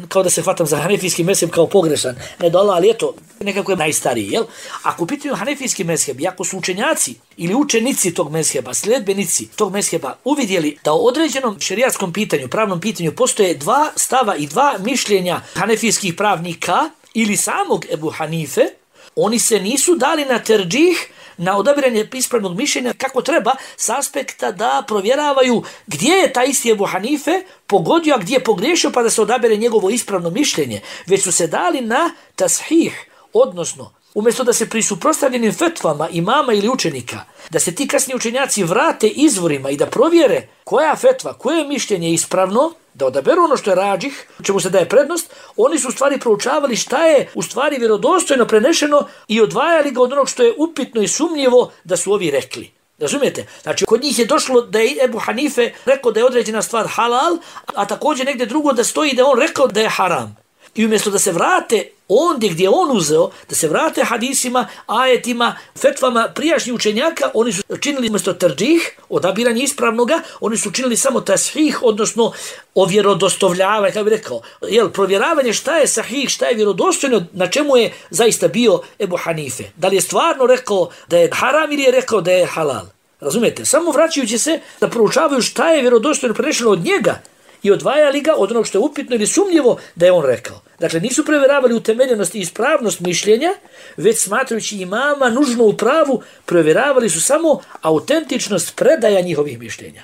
kao da se hvatam za hanefijski mezheb kao pogrešan, ne dola, ali eto, nekako je najstariji, jel? Ako pitaju hanefijski mezheb, i ako su učenjaci ili učenici tog mezheba, sledbenici tog mezheba, uvidjeli da o određenom šerijatskom pitanju, pravnom pitanju, postoje dva stava i dva mišljenja hanefijskih pravnika ili samog Ebu Hanife, oni se nisu dali na terđih, na odabiranje ispravnog mišljenja kako treba s aspekta da provjeravaju gdje je taj isti Ebu Hanife pogodio, a gdje je pogriješio pa da se odabere njegovo ispravno mišljenje. Već su se dali na tashih, odnosno umjesto da se pri suprotstavljenim fetvama imama ili učenika, da se ti kasni učenjaci vrate izvorima i da provjere koja fetva, koje mišljenje je ispravno, da odaberu ono što je rađih, čemu se daje prednost, oni su u stvari proučavali šta je u stvari vjerodostojno prenešeno i odvajali ga od onog što je upitno i sumnjivo da su ovi rekli. Razumijete? Znači, kod njih je došlo da je Ebu Hanife rekao da je određena stvar halal, a također negdje drugo da stoji da je on rekao da je haram. I umjesto da se vrate ondje gdje je on uzeo, da se vrate hadisima, ajetima, fetvama prijašnjih učenjaka, oni su činili umjesto terđih, odabiranje ispravnoga, oni su činili samo tashih, odnosno ovjerodostojavanje, kako bi rekao, provjeravanje šta je sahih, šta je vjerodostojno, na čemu je zaista bio Ebu Hanife. Da li je stvarno rekao da je haram ili je rekao da je halal. Razumijete? Samo vraćajući se da proučavaju šta je vjerodostojno prenešeno od njega, i odvajali ga od onog što je upitno ili sumnjivo da je on rekao. Dakle, nisu provjeravali utemeljenost i ispravnost mišljenja, već smatrajući imama nužno u pravu, provjeravali su samo autentičnost predaja njihovih mišljenja.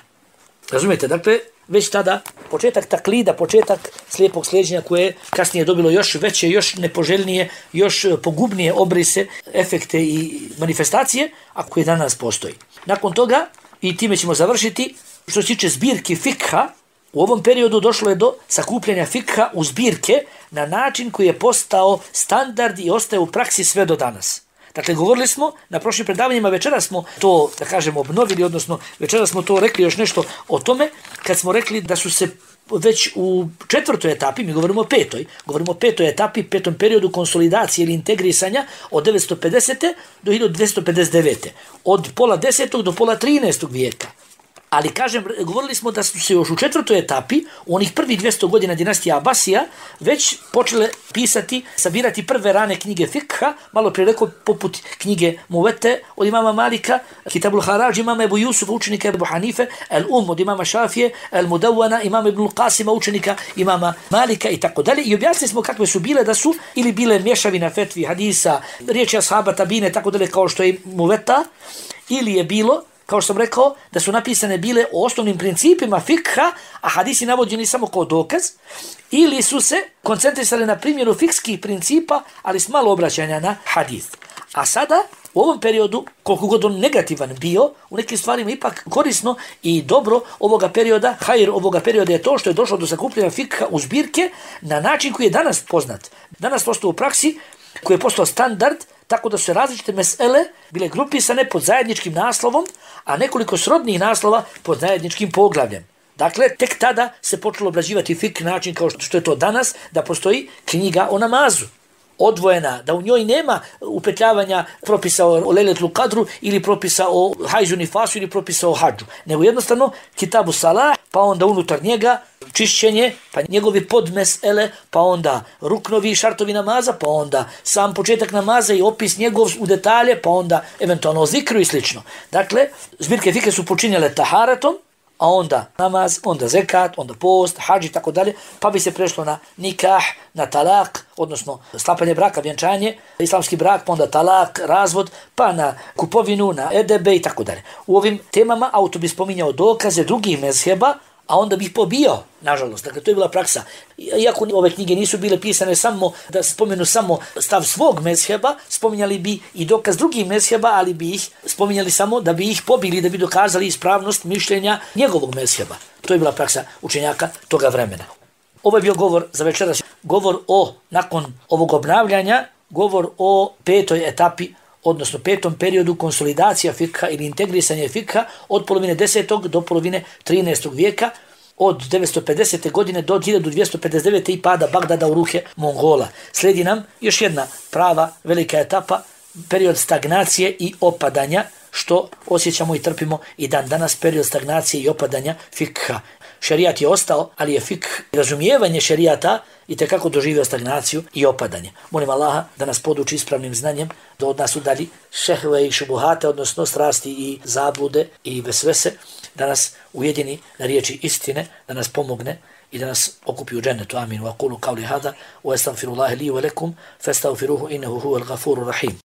Razumijete? Dakle, već tada početak taklida, početak slijepog slijeđenja koje je kasnije dobilo još veće, još nepoželjnije, još pogubnije obrise, efekte i manifestacije, a koje danas postoji. Nakon toga, i time ćemo završiti, što se tiče zbirki fikha, u ovom periodu došlo je do sakupljanja fikha u zbirke na način koji je postao standard i ostaje u praksi sve do danas. Dakle, govorili smo na prošlim predavanjima, večera smo to, da kažemo, obnovili, odnosno večera smo to rekli još nešto o tome, kad smo rekli da su se već u četvrtoj etapi, mi govorimo o petoj etapi, petom periodu konsolidacije ili integrisanja od 950. do 1259. Od pola 10. do pola 13. vijeka. Ali, kažem, govorili smo da su se još u četvrtoj etapi, u onih prvih 200 godina dinastija Abasija, već počele pisati, sabirati prve rane knjige fikha, malo prije rekao, poput knjige Muvete od imama Malika, Kitabul Harađ imama Ebu Jusufa, učenika Ebu Hanife, El od imama Šafije, El Mudawwana imama Ibn Qasima, učenika imama Malika i tako dalje. I objasnili smo kakve su bile, da su ili bile mješavina fetvi, hadisa, riječi ashaba, tabine, tako dalje, kao što je Muveta, ili je bilo, kao što sam rekao, da su napisane bile o osnovnim principima fikha, a hadisi navođeni samo kao dokaz, ili su se koncentrisali na primjeru fikskih principa, ali s malo obraćanja na hadis. A sada, u ovom periodu, koliko god on negativan bio, u nekim stvarima ipak korisno i dobro ovoga perioda, hajr ovoga perioda je to što je došlo do sakupljanja fikha u zbirke na način koji je danas poznat. Danas postao u praksi, koji je postao standard, tako da su različite mesele bile grupisane pod zajedničkim naslovom, a nekoliko srodnih naslova pod zajedničkim poglavljem. Dakle, tek tada se počelo obrađivati fik način kao što je to danas, da postoji knjiga o namazu. Odvojena, da u njoj nema upetljavanja propisa o lejletul kadru ili propisa o hajzu nifasu ili propisa o hadžu. Nego jednostavno kitabu salah, pa onda unutar njega čišćenje, pa njegovi podmesele, pa onda ruknovi i šartovi namaza, pa onda sam početak namaza i opis njegov u detalje, pa onda eventualno o zikru i slično. Dakle, zbirke fike su počinjale taharatom, a onda namaz, onda zekat, onda post, hadž i tako dalje, pa bi se prešlo na nikah, na talak, odnosno sklapanje braka, vjenčanje, islamski brak, pa onda talak, razvod, pa na kupovinu, na edebe i tako dalje. U ovim temama autor bi spominjao dokaze drugih mezheba, a onda bih pobio, nažalost. Dakle, to je bila praksa. Iako ove knjige nisu bile pisane samo da spomenu samo stav svog mezheba, spominjali bi i dokaz drugih mezheba, ali bi ih spominjali samo da bi ih pobili, da bi dokazali ispravnost mišljenja njegovog mezheba. To je bila praksa učenjaka toga vremena. Ovo je bio govor za večeras. Govor o, nakon ovog obnavljanja, govor o 5. etapi, odnosno 5. periodu konsolidacija fikha ili integrisanja fikha od polovine 10. do polovine 13. vijeka, od 950. godine do 1259. i pada Bagdada u ruke Mongola. Slijedi nam još jedna prava velika etapa, period stagnacije i opadanja, što osjećamo i trpimo i dan danas, period stagnacije i opadanja fikha. Šerijat je ostao, ali je fikh, razumijevanje šerijata i tekako doživio stagnaciju i opadanje. Molim Allaha da nas poduči ispravnim znanjem, da od nas udalji šehve i šubuhate, odnosno strasti i zablude i vesvese, da nas ujedini na riječi istine, da nas pomogne i da nas okupi u džennetu. Amin. Wa qulu qawli hada wa astaghfirullaha li wa lakum fastaghfiruhu innahu huwal ghafurur rahim.